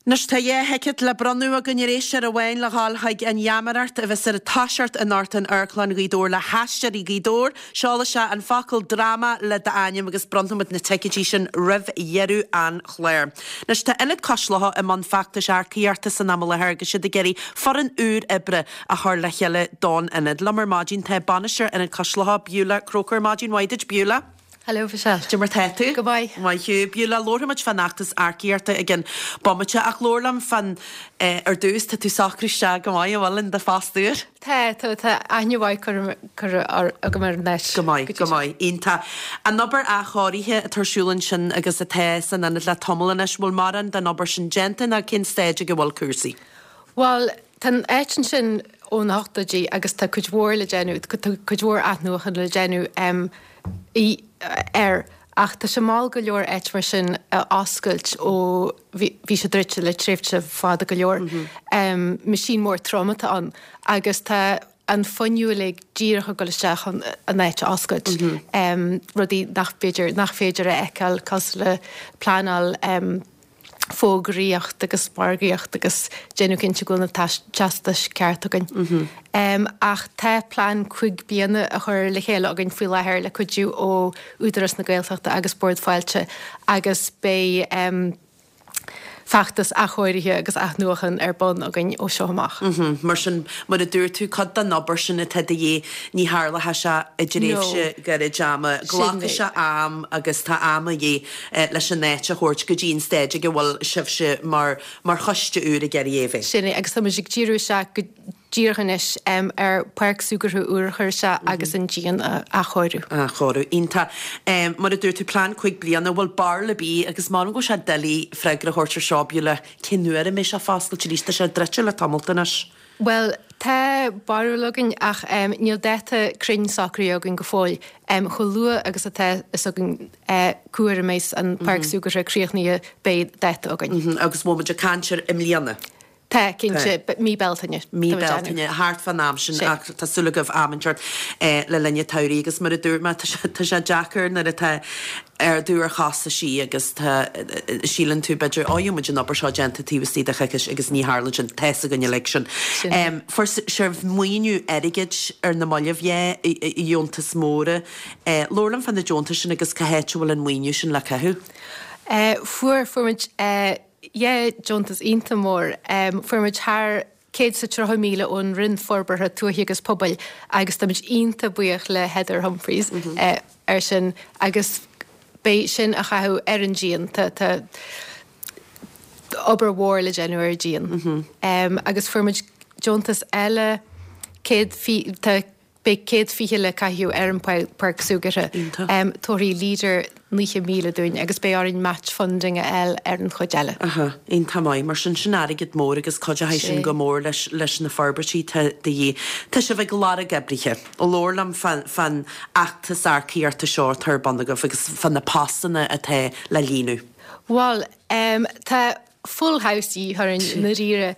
[SPEAKER 1] Anois tá 2 thicéad le bronnadh againn ar éisteoir amháin le dhul chuig an gheamaireacht a bheas ar toiseacht anocht in Amharclann Ghaoth Dobhair le hAisteoirí Ghaoth Dobhair. Seol isteach an focal 'dráma' le d'ainm agus bronnfaimid na ticéidí sin roimh dheireadh an chláir. Anois tá Ionad Cois Locha i mbun feachtais earcaíochta san am i láthair agus siad ag iarraidh foireann úr oibre a chur le chéile don ionad. Liom ar maidin tá Bainisteoir Ionad Cois Locha, Beulah Croker. Maidin mhaith duit, Beulah.
[SPEAKER 6] Hello, Michelle.
[SPEAKER 1] Cad é mar tá tú?
[SPEAKER 6] Go maith.
[SPEAKER 1] Maith thú. Beulah, labharfaimid fán fheachtas earcaíochta i gcionn bomaite ach labhair liom fán, ar dtús, tá tú socraithe isteach go maith, an bhfuil, in do phost úr?
[SPEAKER 6] Tá, tá, tá aithne mhaith curtha agam ar an áit.
[SPEAKER 1] Go maith, go maith. Iontach. An obair athchóirithe atá ar siúl ansin agus atá san ionad le tamall anois, bhfuil mórán den obair sin déanta nó cén staid ag a bhfuil cúrsaí?
[SPEAKER 6] Bhuel, tá an áit ansin ó na hochtóidí agus tá cuid mhór le déanamh, tá cuid mhór athnuachan le déanamh air ach tá sé mall go leor áit mar sin a oscailt ó bhí sé druidte le tréimhse fada go leor. Meaisín mór trom atá ann agus tá an fuinneamh uilig díreach ag dul isteach chun an áit a oscailt. Rudaí nach b'fhéidir, nach féidir a fheiceáil cosúil le pleanáil, fógraíocht agus margaíocht agus déanamh cinnte go bhfuil na teastais ceart againn. Ach tá plean cuig bliana á chur le chéile againn faoi láthair le cuidiú ó Údarás na Gaeltachta agus Bord Fáilte agus beidh feachtas athchóirithe agus athnuachan ar bun againn ó seo amach.
[SPEAKER 1] Mar sin, mar a dúirt tú, cuid den obair sin atá de dhíth, ní tharlóidh sé i dtréimhse gairid ama. Glacfaidh sé am agus tá am a dhíth leis an áit a thabhairt go dtí an staid ag a bhfuil sibhse mar mar choiste úr ag iarraidh é a bheith.
[SPEAKER 6] Sin é, agus tá muid ag díriú isteach go díreach anois ar pháirc súgartha úr a chur isteach agus an díon a athchóiriú.
[SPEAKER 1] Athchóiriú. Iontach. Mar a dúirt tú, plean cuig bliana, bhfuil barúil ar bith, agus m'anam go bhfuil sé doiligh freagra a thabhairt ar seo, Beulah, cén uair a mbeidh sé foscailte arís? Tá sé druidte le tamalt anois.
[SPEAKER 6] Bhuel, tá barúil againn ach níl dáta cruinn socraithe againn go fóill. Chomh luath agus atá fhios againn cá huair a mbeidh an páirc súgartha críochnaithe beidh dáta againn.
[SPEAKER 1] Agus bhfuil muid ag caint ar i mbliana?
[SPEAKER 6] Tá, cinnte, mí Bealtaine.
[SPEAKER 1] Mí Bealtaine, thart fán am sin ach tá súil agaibh am inteacht le linn an tsamhraidh agus mar a dúirt mé, tá sé deacair nuair atá ardú ar chostaisí agus tá, síleann tú b'fhéidir, ó gheobhaidh muid an obair seo déanta taobh istigh de choicís agus ní tharlaíonn sin, tá's againn uilig sin. Fuair sibh maoiniú airgid ar na mallaibh, yeah, deontais mhóra. Labhair liom fá na deontais sin agus cá háit a bhfuil an maoiniú sin le caitheamh.
[SPEAKER 6] Fuair, fuair muid yeah deontas iontach mór. Fuair muid thar 130,000 ón Roinn Forbartha Tuaithe agus Pobail agus táimid iontach buíoch le Heather Humphreys ar sin agus beidh sin á chaitheamh ar an díon. Tá tá obair mhór le déanamh ar an díon. Agus fuair muid deontas eile 100 tá Beidh 120 le caitheamh ar an bpáirc súgartha. Tabharfaidh Leader 90,000 dúinn agus beidh orainn match funding a fháil ar an chuid eile.
[SPEAKER 1] Aha, iontach maith. Mar sin, sin airgead mór agus cuideoidh sin go mór leis leis na forbairtí atá de dhíth. Tá sibh ag lorg oibrithe. Labhair liom fán fheachtas earcaíochta seo atá ar bun agaibh agus fá na postanna atá le líonadh.
[SPEAKER 6] Bhuel, tá full house de dhíth orainn i ndáiríre.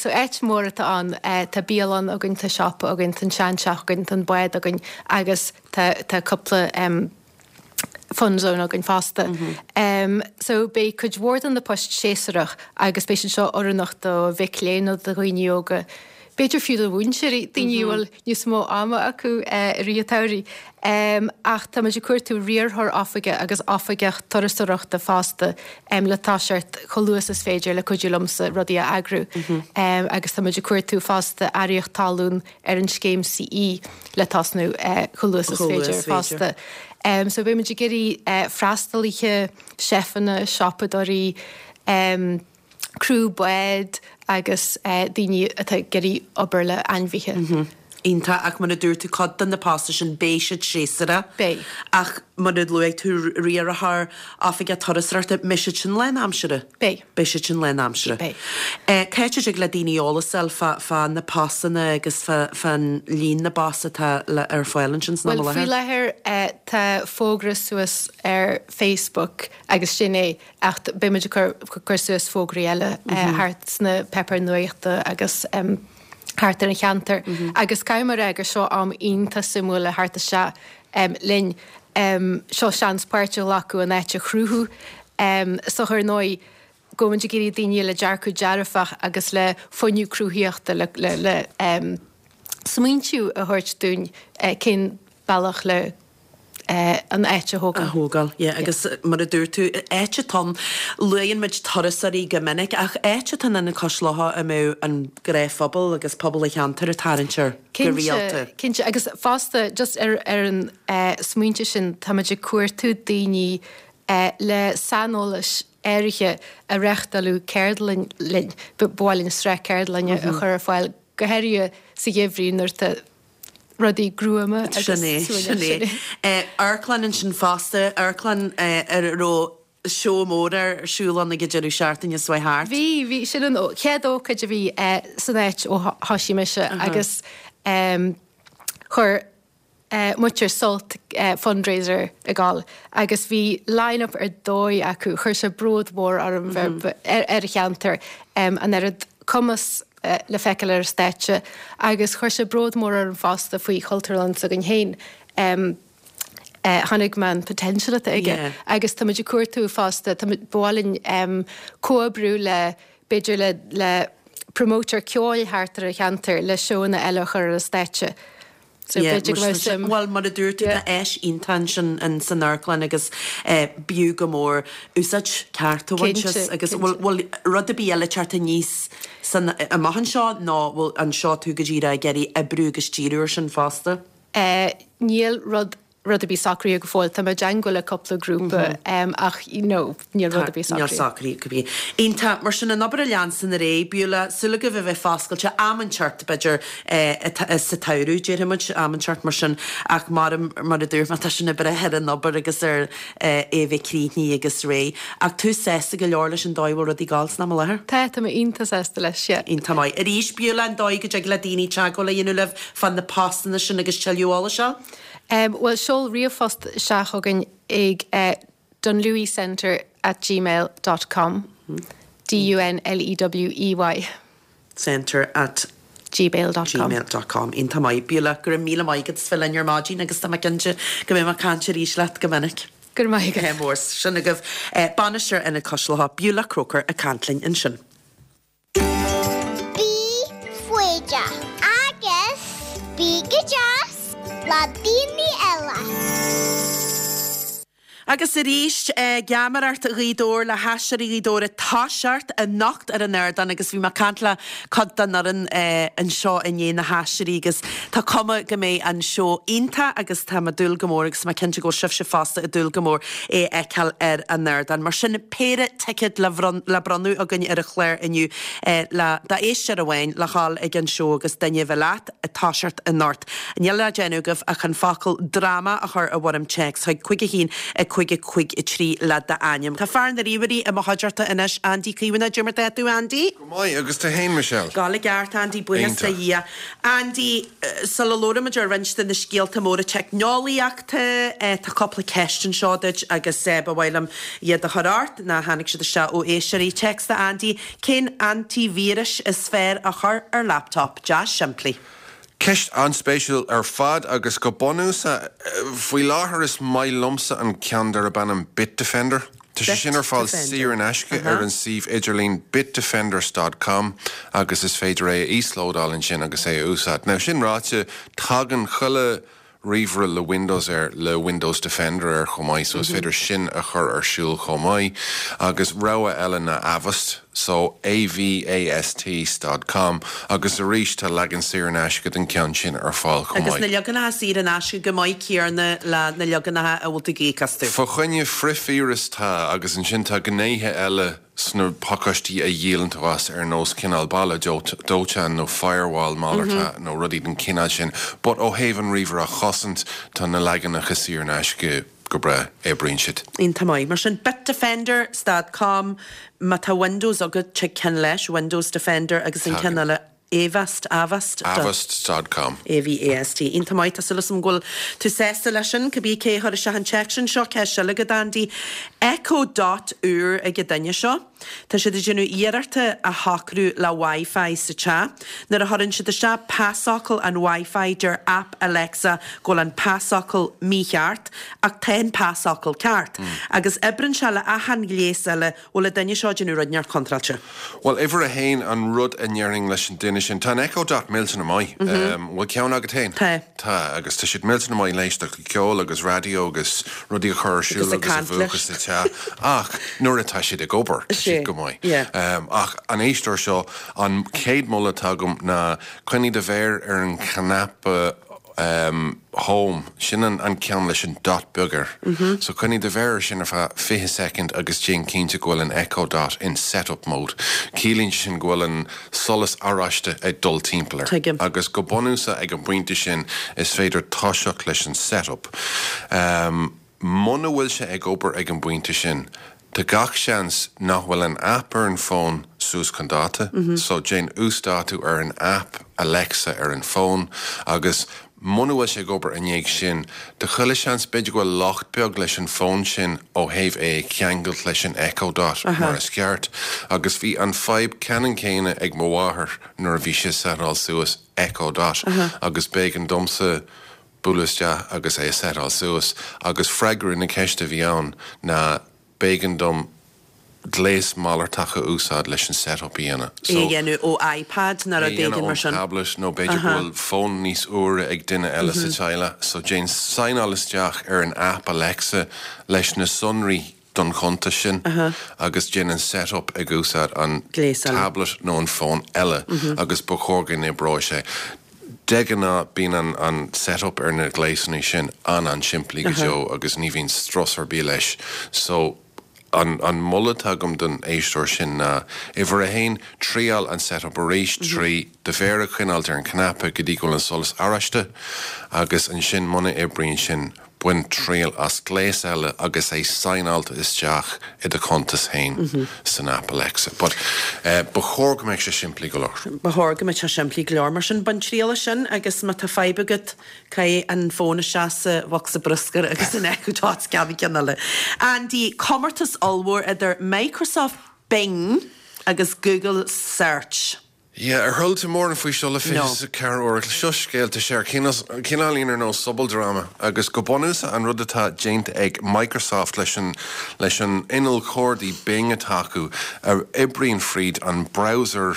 [SPEAKER 6] So áit mhór atá ann, tá bialann againn, tá siopa againn, tá an seanteach againn, tá an bád againn agus tá tá cúpla fun zone againn fosta. So beidh cuid mhór de na poist séasúrach agus beidh siad seo oiriúnach do mhic léinn nó do dhaoine óga, b'fhéidir fiú do mhúinteoirí, daoine a bhfuil níos mó ama acu i rith an tsamhraidh. Ach tá muid ag cuartú riarthóir oifige agus oifigeach turasóireachta fosta le toiseacht chomh luath is is féidir le cuidiú liomsa rudaí a eagrú. Agus tá muid ag cuartú fosta earraíocht talún ar an scéim CE le tosnú chomh luath is is féidir fosta. So beidh muid ag iarraidh freastalaithe, seifeanna, siopadóirí, criú bád agus daoine atá ag iarraidh obair le ainmhithe.
[SPEAKER 1] Iontach, ach mar a dúirt tú, cuid de na postanna sin, beidh siad séasúrach.
[SPEAKER 6] Beidh.
[SPEAKER 1] Ach mar a luaigh tú, riarthóir, oifigeach turasóireachta, mbeidh siad sin lánaimseartha?
[SPEAKER 6] Beidh.
[SPEAKER 1] Beidh siad sin lánaimseartha.
[SPEAKER 6] Beidh.
[SPEAKER 1] Cá háit a dtig le daoine eolas a fháil fá, fá na postanna agus fá, fán líon na bpost atá le, ar fáil ansin san am i
[SPEAKER 6] Bhuel, faoi
[SPEAKER 1] láthair?
[SPEAKER 6] láthair tá fógra suas ar Facebook agus sin é. Ach beidh muid ag cur suas fógraí eile thart sna páipéir nuachta agus thart ar an cheantar. Agus caithfidh mé a rá gur seo am iontach suimiúil le theacht isteach linn. Seo seans páirt a ghlacadh an áit a chruthú. Is dócha ar ndóigh go bhfuil muid ag iarraidh daoine le dearcadh dearfach agus le fuinneamh cruthaíochta le smaointiú a thabhairt dúinn cén bealach le an áit a thógáil.
[SPEAKER 1] A thógáil, yeah. Agus mar a dúirt tú, áit atá ann, luann muid turasóirí go minic, ach áit atá in Cois Locha a mbeadh an gnáthphobal agus pobal an cheantair ag tarraingt air go rialta.
[SPEAKER 6] Cinnte, cinnte. Agus fosta, just ar ar an smaointe sin, táimid ag cuartú daoine le saineolais áirithe a reáchtálfadh ceardlann linn. Ba mhaith linn sraith ceardlainne a chur ar fáil, go háirithe sa gheimhreadh nuair atá rudaí gruama agus
[SPEAKER 1] Sin é,
[SPEAKER 6] suaimhneach.
[SPEAKER 1] sin é. Amharclann ansin fosta, amharclann ar a raibh seó mór ar siúl ann ag an deireadh seachtaine seo thart.
[SPEAKER 6] Bhí, bhí, sin an chéad ócáid a bhí san áit ó thoisigh mise agus chuir muintir Sult fundraiser ag dul agus bhí line up ar dóigh acu, chuir sé bród mór orm bheith ar an cheantar, an oiread cumas le feiceáil ar an stáitse agus chuir sé bród mór orm fosta faoi Chultúrlann s'againn féin. Chonaic mé an potential atá aige agus tá muid ag cuartú fosta, tá muid, ba mhaith linn comhoibriú le, b'fhéidir le, le promoter ceoil thart ar an cheantar le seóanna eile a chur ar an stáitse. So
[SPEAKER 1] Yeah,
[SPEAKER 6] b'fhéidir go mbeadh suim.
[SPEAKER 1] Bhuel, mar a dúirt tú, tá áis iontach ansin in san amharclann agus b'fhiú go mór úsáid ceart a bhaint as agus bhfuil bhfuil rud ar bith eile ag teacht aníos san amach anseo nó bhfuil anseo tú go díreach ag iarraidh oibriú agus díriú ar sin fosta?
[SPEAKER 6] Níl rud rud ar bith socraithe go fóill. Tá mé i dteangmháil le cúpla grúpa ach you know níl rud ar bith
[SPEAKER 1] Níl
[SPEAKER 6] socraithe.
[SPEAKER 1] socraithe go bith. Iontach. Mar sin, an obair a leanstan ar aghaidh, Beulah, súil agaibh a bheith foscailte am inteacht, b'fhéidir, sa tsamhradh, déarfaidh muid, am inteacht mar sin, ach mar, mar a dúirt mé, tá sin ag brath ar an obair agus ar é a bheith críochnaithe agus réidh. Ach tú sásta go leor leis an dóigh a bhfuil rudaí ag gabháil san am i láthair?
[SPEAKER 6] Tá, tá mé iontach sásta leis, yeah.
[SPEAKER 1] Iontach maith. Arís, Beulah, an dóigh go dtig le daoine teagmháil a dhéanamh libh fá na postanna sin agus tuilleadh eolais a fháil?
[SPEAKER 6] Bhuel, seol ríomhphost isteach chugainn ag dunleweycentre at gmail dot com, D-U-N-L-E-W-E-Y.
[SPEAKER 1] Centre at
[SPEAKER 6] gmail dot com.
[SPEAKER 1] gmail dot com. Iontach maith. Beulah, go raibh míle maith agat as bheith linn ar maidin agus tá mé cinnte go mbeidh mé ag caint arís leat go minic.
[SPEAKER 6] Go raibh maith agat.
[SPEAKER 1] Mór. Sin agaibh Bainisteoir Ionad Cois Locha, Beulah Croker ag caint linn ansin.
[SPEAKER 3] Bí foighdeach agus bí go deas le daoine eile.
[SPEAKER 1] Agus arís, Geamaireacht Ghaoth Dobhair le hAisteoirí Ghaoth Dobhair ag toiseacht anocht ar an ardán agus bhí mé ag caint le cuid den fhoireann anseo inné, na haisteoirí agus tá cuma go mbeidh an seó iontach agus tá mé ag dúil go mór agus tá mé cinnte go bhfuil sibhse fosta ag dúil go mór é a fheiceáil ar an ardán. Mar sin, péire ticéad le bronnadh againn ar an chlár inniu le d'éisteoir amháin le dhul ag an seó agus duine a bheith leat ag toiseacht anocht. Níl le déanamh agaibh ach an focal 'dráma' a chur i bhfoirm téacs chuig 5 1 5 5 3 le d'ainm. Tá fear na ríomhairí i mo chuideachta anois, Andy Caomhánach. Cad é mar tá tú, Andy?
[SPEAKER 7] Go maith, agus tú fhéin, Michelle?
[SPEAKER 1] Ag gabháil i gceart, Andy, buíochas do
[SPEAKER 7] Iontach.
[SPEAKER 1] Dhia. Andy, sula labhraímid ar roinnt de na scéalta móra teicneolaíochta, tá cúpla ceist anseo duit agus ba mhaith liom iad a chur ort, nó tháinig siad isteach ó éisteoirí. Téacs do Andy, Cén antivirus is fearr a chur ar laptop? Deas simplí.
[SPEAKER 7] Ceist an-spéisiúil ar fad agus go bunúsach, faoi láthair is maith liomsa an ceann darb ainm Bitdefender. Tá sé sin ar fáil saor in aisce ar an suíomh idirlín bitdefenders dot com agus is féidir é a íoslódáil ansin agus é a úsáid. Now sin ráite, tagann chuile ríomhaire le Windows air le Windows Defender air chomh maith so is féidir sin a chur ar siúl chomh maith. Agus rogha eile ná Avast, so A-V-A-S-T dot com agus arís tá leagan saor in aisce den cheann sin ar fáil chomh
[SPEAKER 1] Agus
[SPEAKER 7] maith.
[SPEAKER 1] na leaganacha saor in aisce chomh maith céanna le na leaganacha a bhfuil tú ag íoc astu.
[SPEAKER 7] Fá choinne frithvíreas tá agus ansin tá gnéithe eile sna pacáistí a dhíolann tú as ar nós cineál balla dóiteáin nó firewall malartach nó rudaí den chineál sin but ó thaobh an ríomhaire a chosaint tá na leaganacha saor in aisce go breá, oibríonn siad.
[SPEAKER 1] Iontach maith. Mar sin Bitdefender dot com má tá Windows agat tig ceann leis, Windows Defender agus an ceann eile Avast, Avast
[SPEAKER 7] dot. Avast dot com.
[SPEAKER 1] A-V-A-S-T. Iontach maith, tá súil agam go bhfuil tú sásta leis sin, cibé cé a chuir isteach an téacs sin. Seo ceist eile agat Andy. Echo Dot úr ag an duine seo. Tá siad ag déanamh iarrachta a shocrú le Wi-Fi sa teach. Nuair a chuireann siad isteach pasfhocal an Wi-Fi deir aip Alexa go bhfuil an pasfhocal mícheart, ach tá an pasfhocal ceart. Agus oibríonn sé le achan ghléas eile Bhfuil an duine seo ag déanamh rud inteacht contráilte?
[SPEAKER 7] Bhuel, uimhir a haon, an rud a ndéarfainn leis an duine sin, tá an Echo Dot millteanach maith. Bhfuil ceann agat féin?
[SPEAKER 1] Tá.
[SPEAKER 7] Tá, agus tá siad millteanach maith le éisteacht le ceol agus raidió agus rudaí a chur ar siúl
[SPEAKER 1] Agus ag
[SPEAKER 7] agus a
[SPEAKER 1] caint
[SPEAKER 7] mhúchadh
[SPEAKER 1] leis.
[SPEAKER 7] sa teach. Ach nuair atá siad ag obair, tá siad go maith.
[SPEAKER 1] Yeah.
[SPEAKER 7] Ach an éisteoir seo, an chéad moladh atá agam ná coinnigh do mhéar ar an chnaipe Home, sin an ceann leis an dot beag air. So coinnigh do mhéar air sin ar feadh 20 soicind agus déan cinnte go bhfuil an Echo Dot in setup mode. Ciallaíonn sé sin go bhfuil an solas oráiste ag dul timpeall air.
[SPEAKER 1] Tuigim.
[SPEAKER 7] Agus go bunúsach ag an bpointe sin is féidir toiseacht leis an setup. Muna bhfuil sé ag obair ag an bpointe sin, tá gach seans nach bhfuil an aip ar an bhfón suas chun dáta, so déan uasdátú ar an aip Alexa ar an bhfón agus muna bhfuil sé ag obair i ndiaidh sin, tá chuile seans b'fhéidir go bhfuil locht beag leis an bhfón sin ó thaobh é a cheangailt leis an Echo Dot mar is ceart. Agus bhí an fadhb ceannann céanna ag mo mháthair nuair a bhí sí ag setáil suas Echo Dot agus b'éigean domsa bualadh isteach agus é a setáil suas agus freagra na ceiste a bhí ann ná b'éigean dom gléas malartach a úsáid leis an setup a dhéanamh.
[SPEAKER 1] É a dhéanamh ó iPad nó
[SPEAKER 7] É a
[SPEAKER 1] rud
[SPEAKER 7] dhéanamh
[SPEAKER 1] éigin mar
[SPEAKER 7] ón
[SPEAKER 1] sin.
[SPEAKER 7] tablet nó b'fhéidir go bhfuil fón níos úire ag duine eile sa teaghlach so déan signeáil isteach ar an aip Alexa leis na sonraí don chuntas sin agus déan an setup ag úsáid an tablet nó an fón eile agus ba chóir go n-oibreoidh sé. De ghnáth bíonn an setup ar na gléasanna sin an-an-simplí go deo agus ní bhíonn strus ar bith leis so an moladh atá agam don éisteoir sin ná uimhir a haon triail an setup arís trí do mhéar a choinneáilt ar an chnaipe go dtí go bhfuil an solas oráiste agus ansin muna oibríonn sin Bain triail as gléas eile agus é signeáilte isteach i do chuntas féin san aip Alexa. But ba chóir go mbeadh sé simplí go leor.
[SPEAKER 1] Ba chóir go mbeadh sé simplí go leor. Mar sin, bain triail as sin agus má tá fadhb agat, caith an fón isteach sa bhocsa bruscair agus an Echo Dot ceannaigh ceann eile. Andy, comórtas ollmhór idir Microsoft Bing agus Google Search.
[SPEAKER 7] Yeah, ar chuala tú mórán faoi seo le
[SPEAKER 1] No.
[SPEAKER 7] 24 uair? Seo scéal, tá sé ar cineáilín ar nós sobaldráma agus go bunúsach an rud atá déanta ag Microsoft leis an leis an inneall cuardaigh Bing atá acu a oibríonn fríd an browser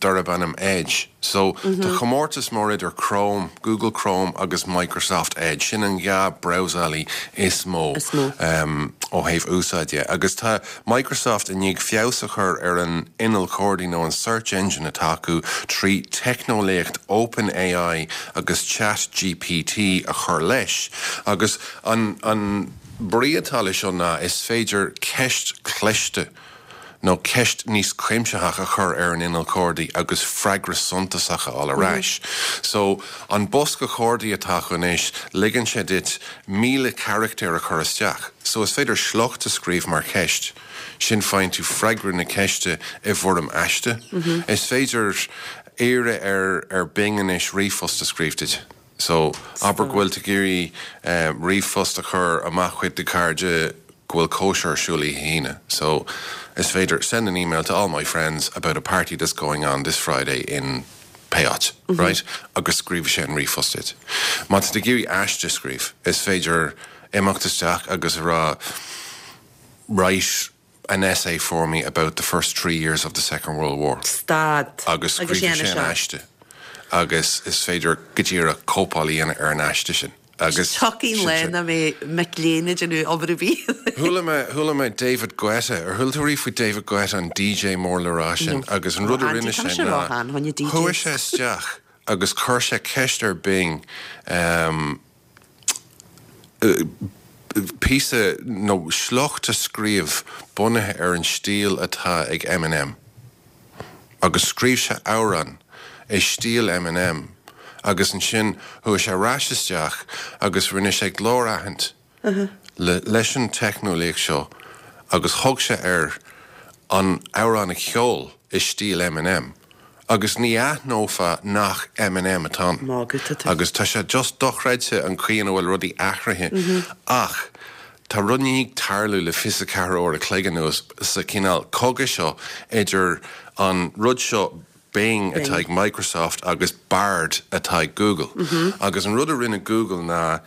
[SPEAKER 7] darb ainm Edge. So, tá comórtas mór idir Chrome, Google Chrome agus Microsoft Edge. Sin an dhá brabhsálaí is mó ó thaobh úsáid de. Agus tá Microsoft i ndiaidh feabhas a chur ar an inneall cuardaigh nó an search engine atá acu trí teicneolaíocht OpenAI agus ChatGPT a chur leis. Agus an an brí atá leis seo ná is féidir ceist chliste, nó ceist níos cuimsitheach a chur ar an inneall cuardaigh agus freagra suntasach a fháil ar ais. So, an bosca cuardaigh atá acu anois, ligeann sé duit 1,000 carachtar a chur isteach. So, is féidir sliocht a scríobh mar cheist, sin faigheann tú freagra na ceiste i bhfoirm aiste. Is féidir iarraidh ar ar Bing anois ríomhphost a scríobh duit. So, abair go bhfuil tú ag iarraidh ríomhphost a chur amach chuig do chairde go bhfuil cóisir ar siúl oíche hAoine. So, is féidir send an email to all my friends about a party that's going on this Friday in pé áit, right? Agus scríobhfaidh sé an ríomhphost duit. Má tá tú ag iarraidh aiste a scríobh, is féidir imeacht isteach agus a rá write an essay for me about the first tree years of the Second World War.
[SPEAKER 1] Stad.
[SPEAKER 7] Agus scríobhfaidh sé an aiste agus is féidir go díreach cóipeáil a dhéanamh ar an aiste sin agus
[SPEAKER 1] Tiocfaidh an lá nach mbeidh mic léinn ag déanamh obair ar bith.
[SPEAKER 7] Chuala mé, chuala mé David Guetta, ar chuala tú riamh faoi David Guetta, an DJ mór le rá sin? Agus an rud a rinne sé ná, chuaigh sé isteach agus chuir sé ceist ar Bing, píosa nó sliocht a scríobh bunaithe ar an stíl atá ag Eminem. Agus scríobh sé amhrán i stíl Eminem agus ansin chuaigh sé ar ais isteach agus rinne sé glór-aithint leis an teicneolaíocht seo agus thug sé air an amhrán a cheol i stíl Eminem agus ní aithneofá nach Eminem atá ann. Agus tá sé just dochreidte an chaoi ina bhfuil rudaí athraithe ach tá rud i ndiaidh tarlú le 24 uair a chloig anuas sa chineál cogadh seo idir an rud seo Bing atá ag Microsoft agus Bard atá ag Google. Agus an rud a rinne Google ná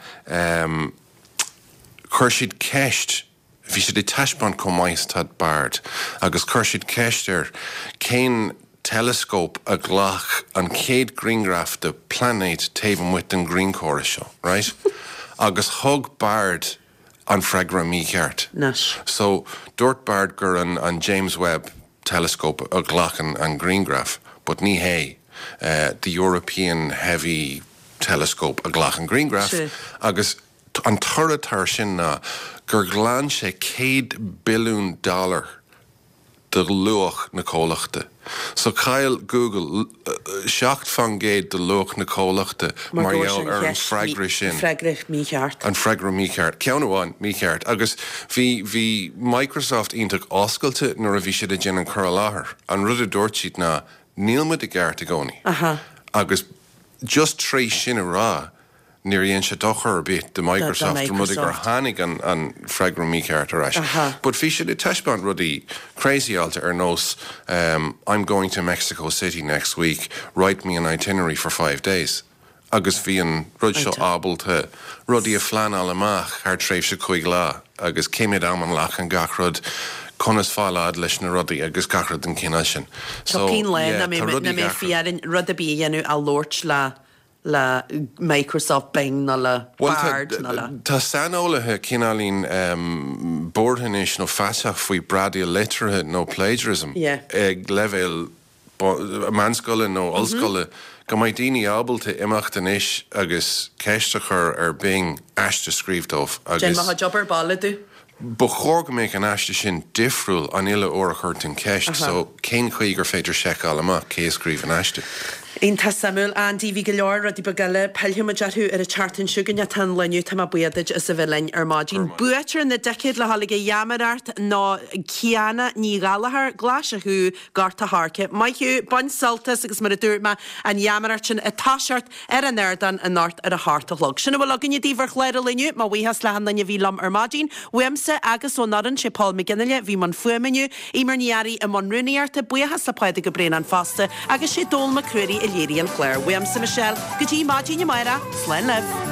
[SPEAKER 7] chuir siad ceist, bhí siad ag taispeáint chomh maith is atá Bard, agus chuir siad ceist air cén teileascóp a ghlac an chéad ghrianghraf de pláinéad taobh amuigh den ghrianchóras seo, right? Agus thug Bard an freagra mícheart. So, dúirt Bard gur an James Webb Telescope a ghlac an grianghraf, but ní hé, the European Heavy Telescope a ghlac an grianghraf agus an toradh atá air sin ná gur ghlan sé 100 billiún dollar de luach na comhlachta. So chaill Google 7% de luach na comhlachta mar gheall ar an freagra sin.
[SPEAKER 1] Freagra mícheart.
[SPEAKER 7] An freagra mícheart. Ceann amháin mícheart. Agus bhí, bhí Microsoft iontach oscailte nuair a bhí siad ag déanamh an cur i láthair. An rud a dúirt siad ná níl muid i gceart i gcónaí. Agus just tar éis sin a rá, Níor dhein sé dochar ar bith do Microsoft an rud é gur tháinig an freagra mícheart ar ais. But bhí siad ag taispeáint rudaí crazyáilte ar nós I'm going to Mexico City next week, write me an itinerary for five days agus bhí an rud seo ábalta rudaí a phleanáil amach thar tréimhse chúig lá agus cé mhéad am a nglacann gach rud, conas fáil fhad leis na rudaí agus gach rud den chineál sin.
[SPEAKER 1] So, Cén lá yeah, tá rudaí ag athrú. Mbeidh rud ar bith a dhéanamh a labhairt le le Microsoft Bing nó le Bard nó le.
[SPEAKER 7] Tá saineolaithe cineáilín buartha anois nó feasach faoi bradaíl liteartha nó plagiarism ag leibhéal meánscoile nó ollscoile, go mbeidh daoine ábalta imeacht anois agus ceist a chur ar Bing aiste a scríobh dóibh
[SPEAKER 1] agus. Déan mo chuid obair baile domh.
[SPEAKER 7] Ba chóir go mbeadh an aiste sin difriúil an uile uair a chuireann tú an cheist, so cén chaoi gur féidir seiceáil amach cé a scríobh an aiste?
[SPEAKER 1] Iontach suimiúil, Andy. Bhí go leor rudaí beaga eile, pillfidh muid orthu ar an tseachtain seo chugainn ach tá an lá inniu, tá mé buíoch duit as a bheith linn ar maidin. Buaiteoir na dticéad le dhul ag an gheamaireacht ná Ciana Ní Ghallchóir, Glaise Chú, Gort a' Choirce. Maith thú, bain sult as agus mar a dúirt mé, an gheamaireacht sin ag toiseacht ar an ardán anocht ar a hocht a chlog. Sin a bhfuil againne daoibh ar chlár an lae inniu. Mo bhuíochas le achan duine a bhí liom ar maidin. Uaimse agus ón fhoireann, sé Paul McGinley a bhí i mbun fuaime inniu, Eimear Ní Fhearraigh i mbun rúnaíochta, buíochas le Pádraig Ó Braonáin fosta agus sé Dónall Mac Ruairí a léirigh an clár. Uaimse Michelle, go dtí maidin amárach, slán libh.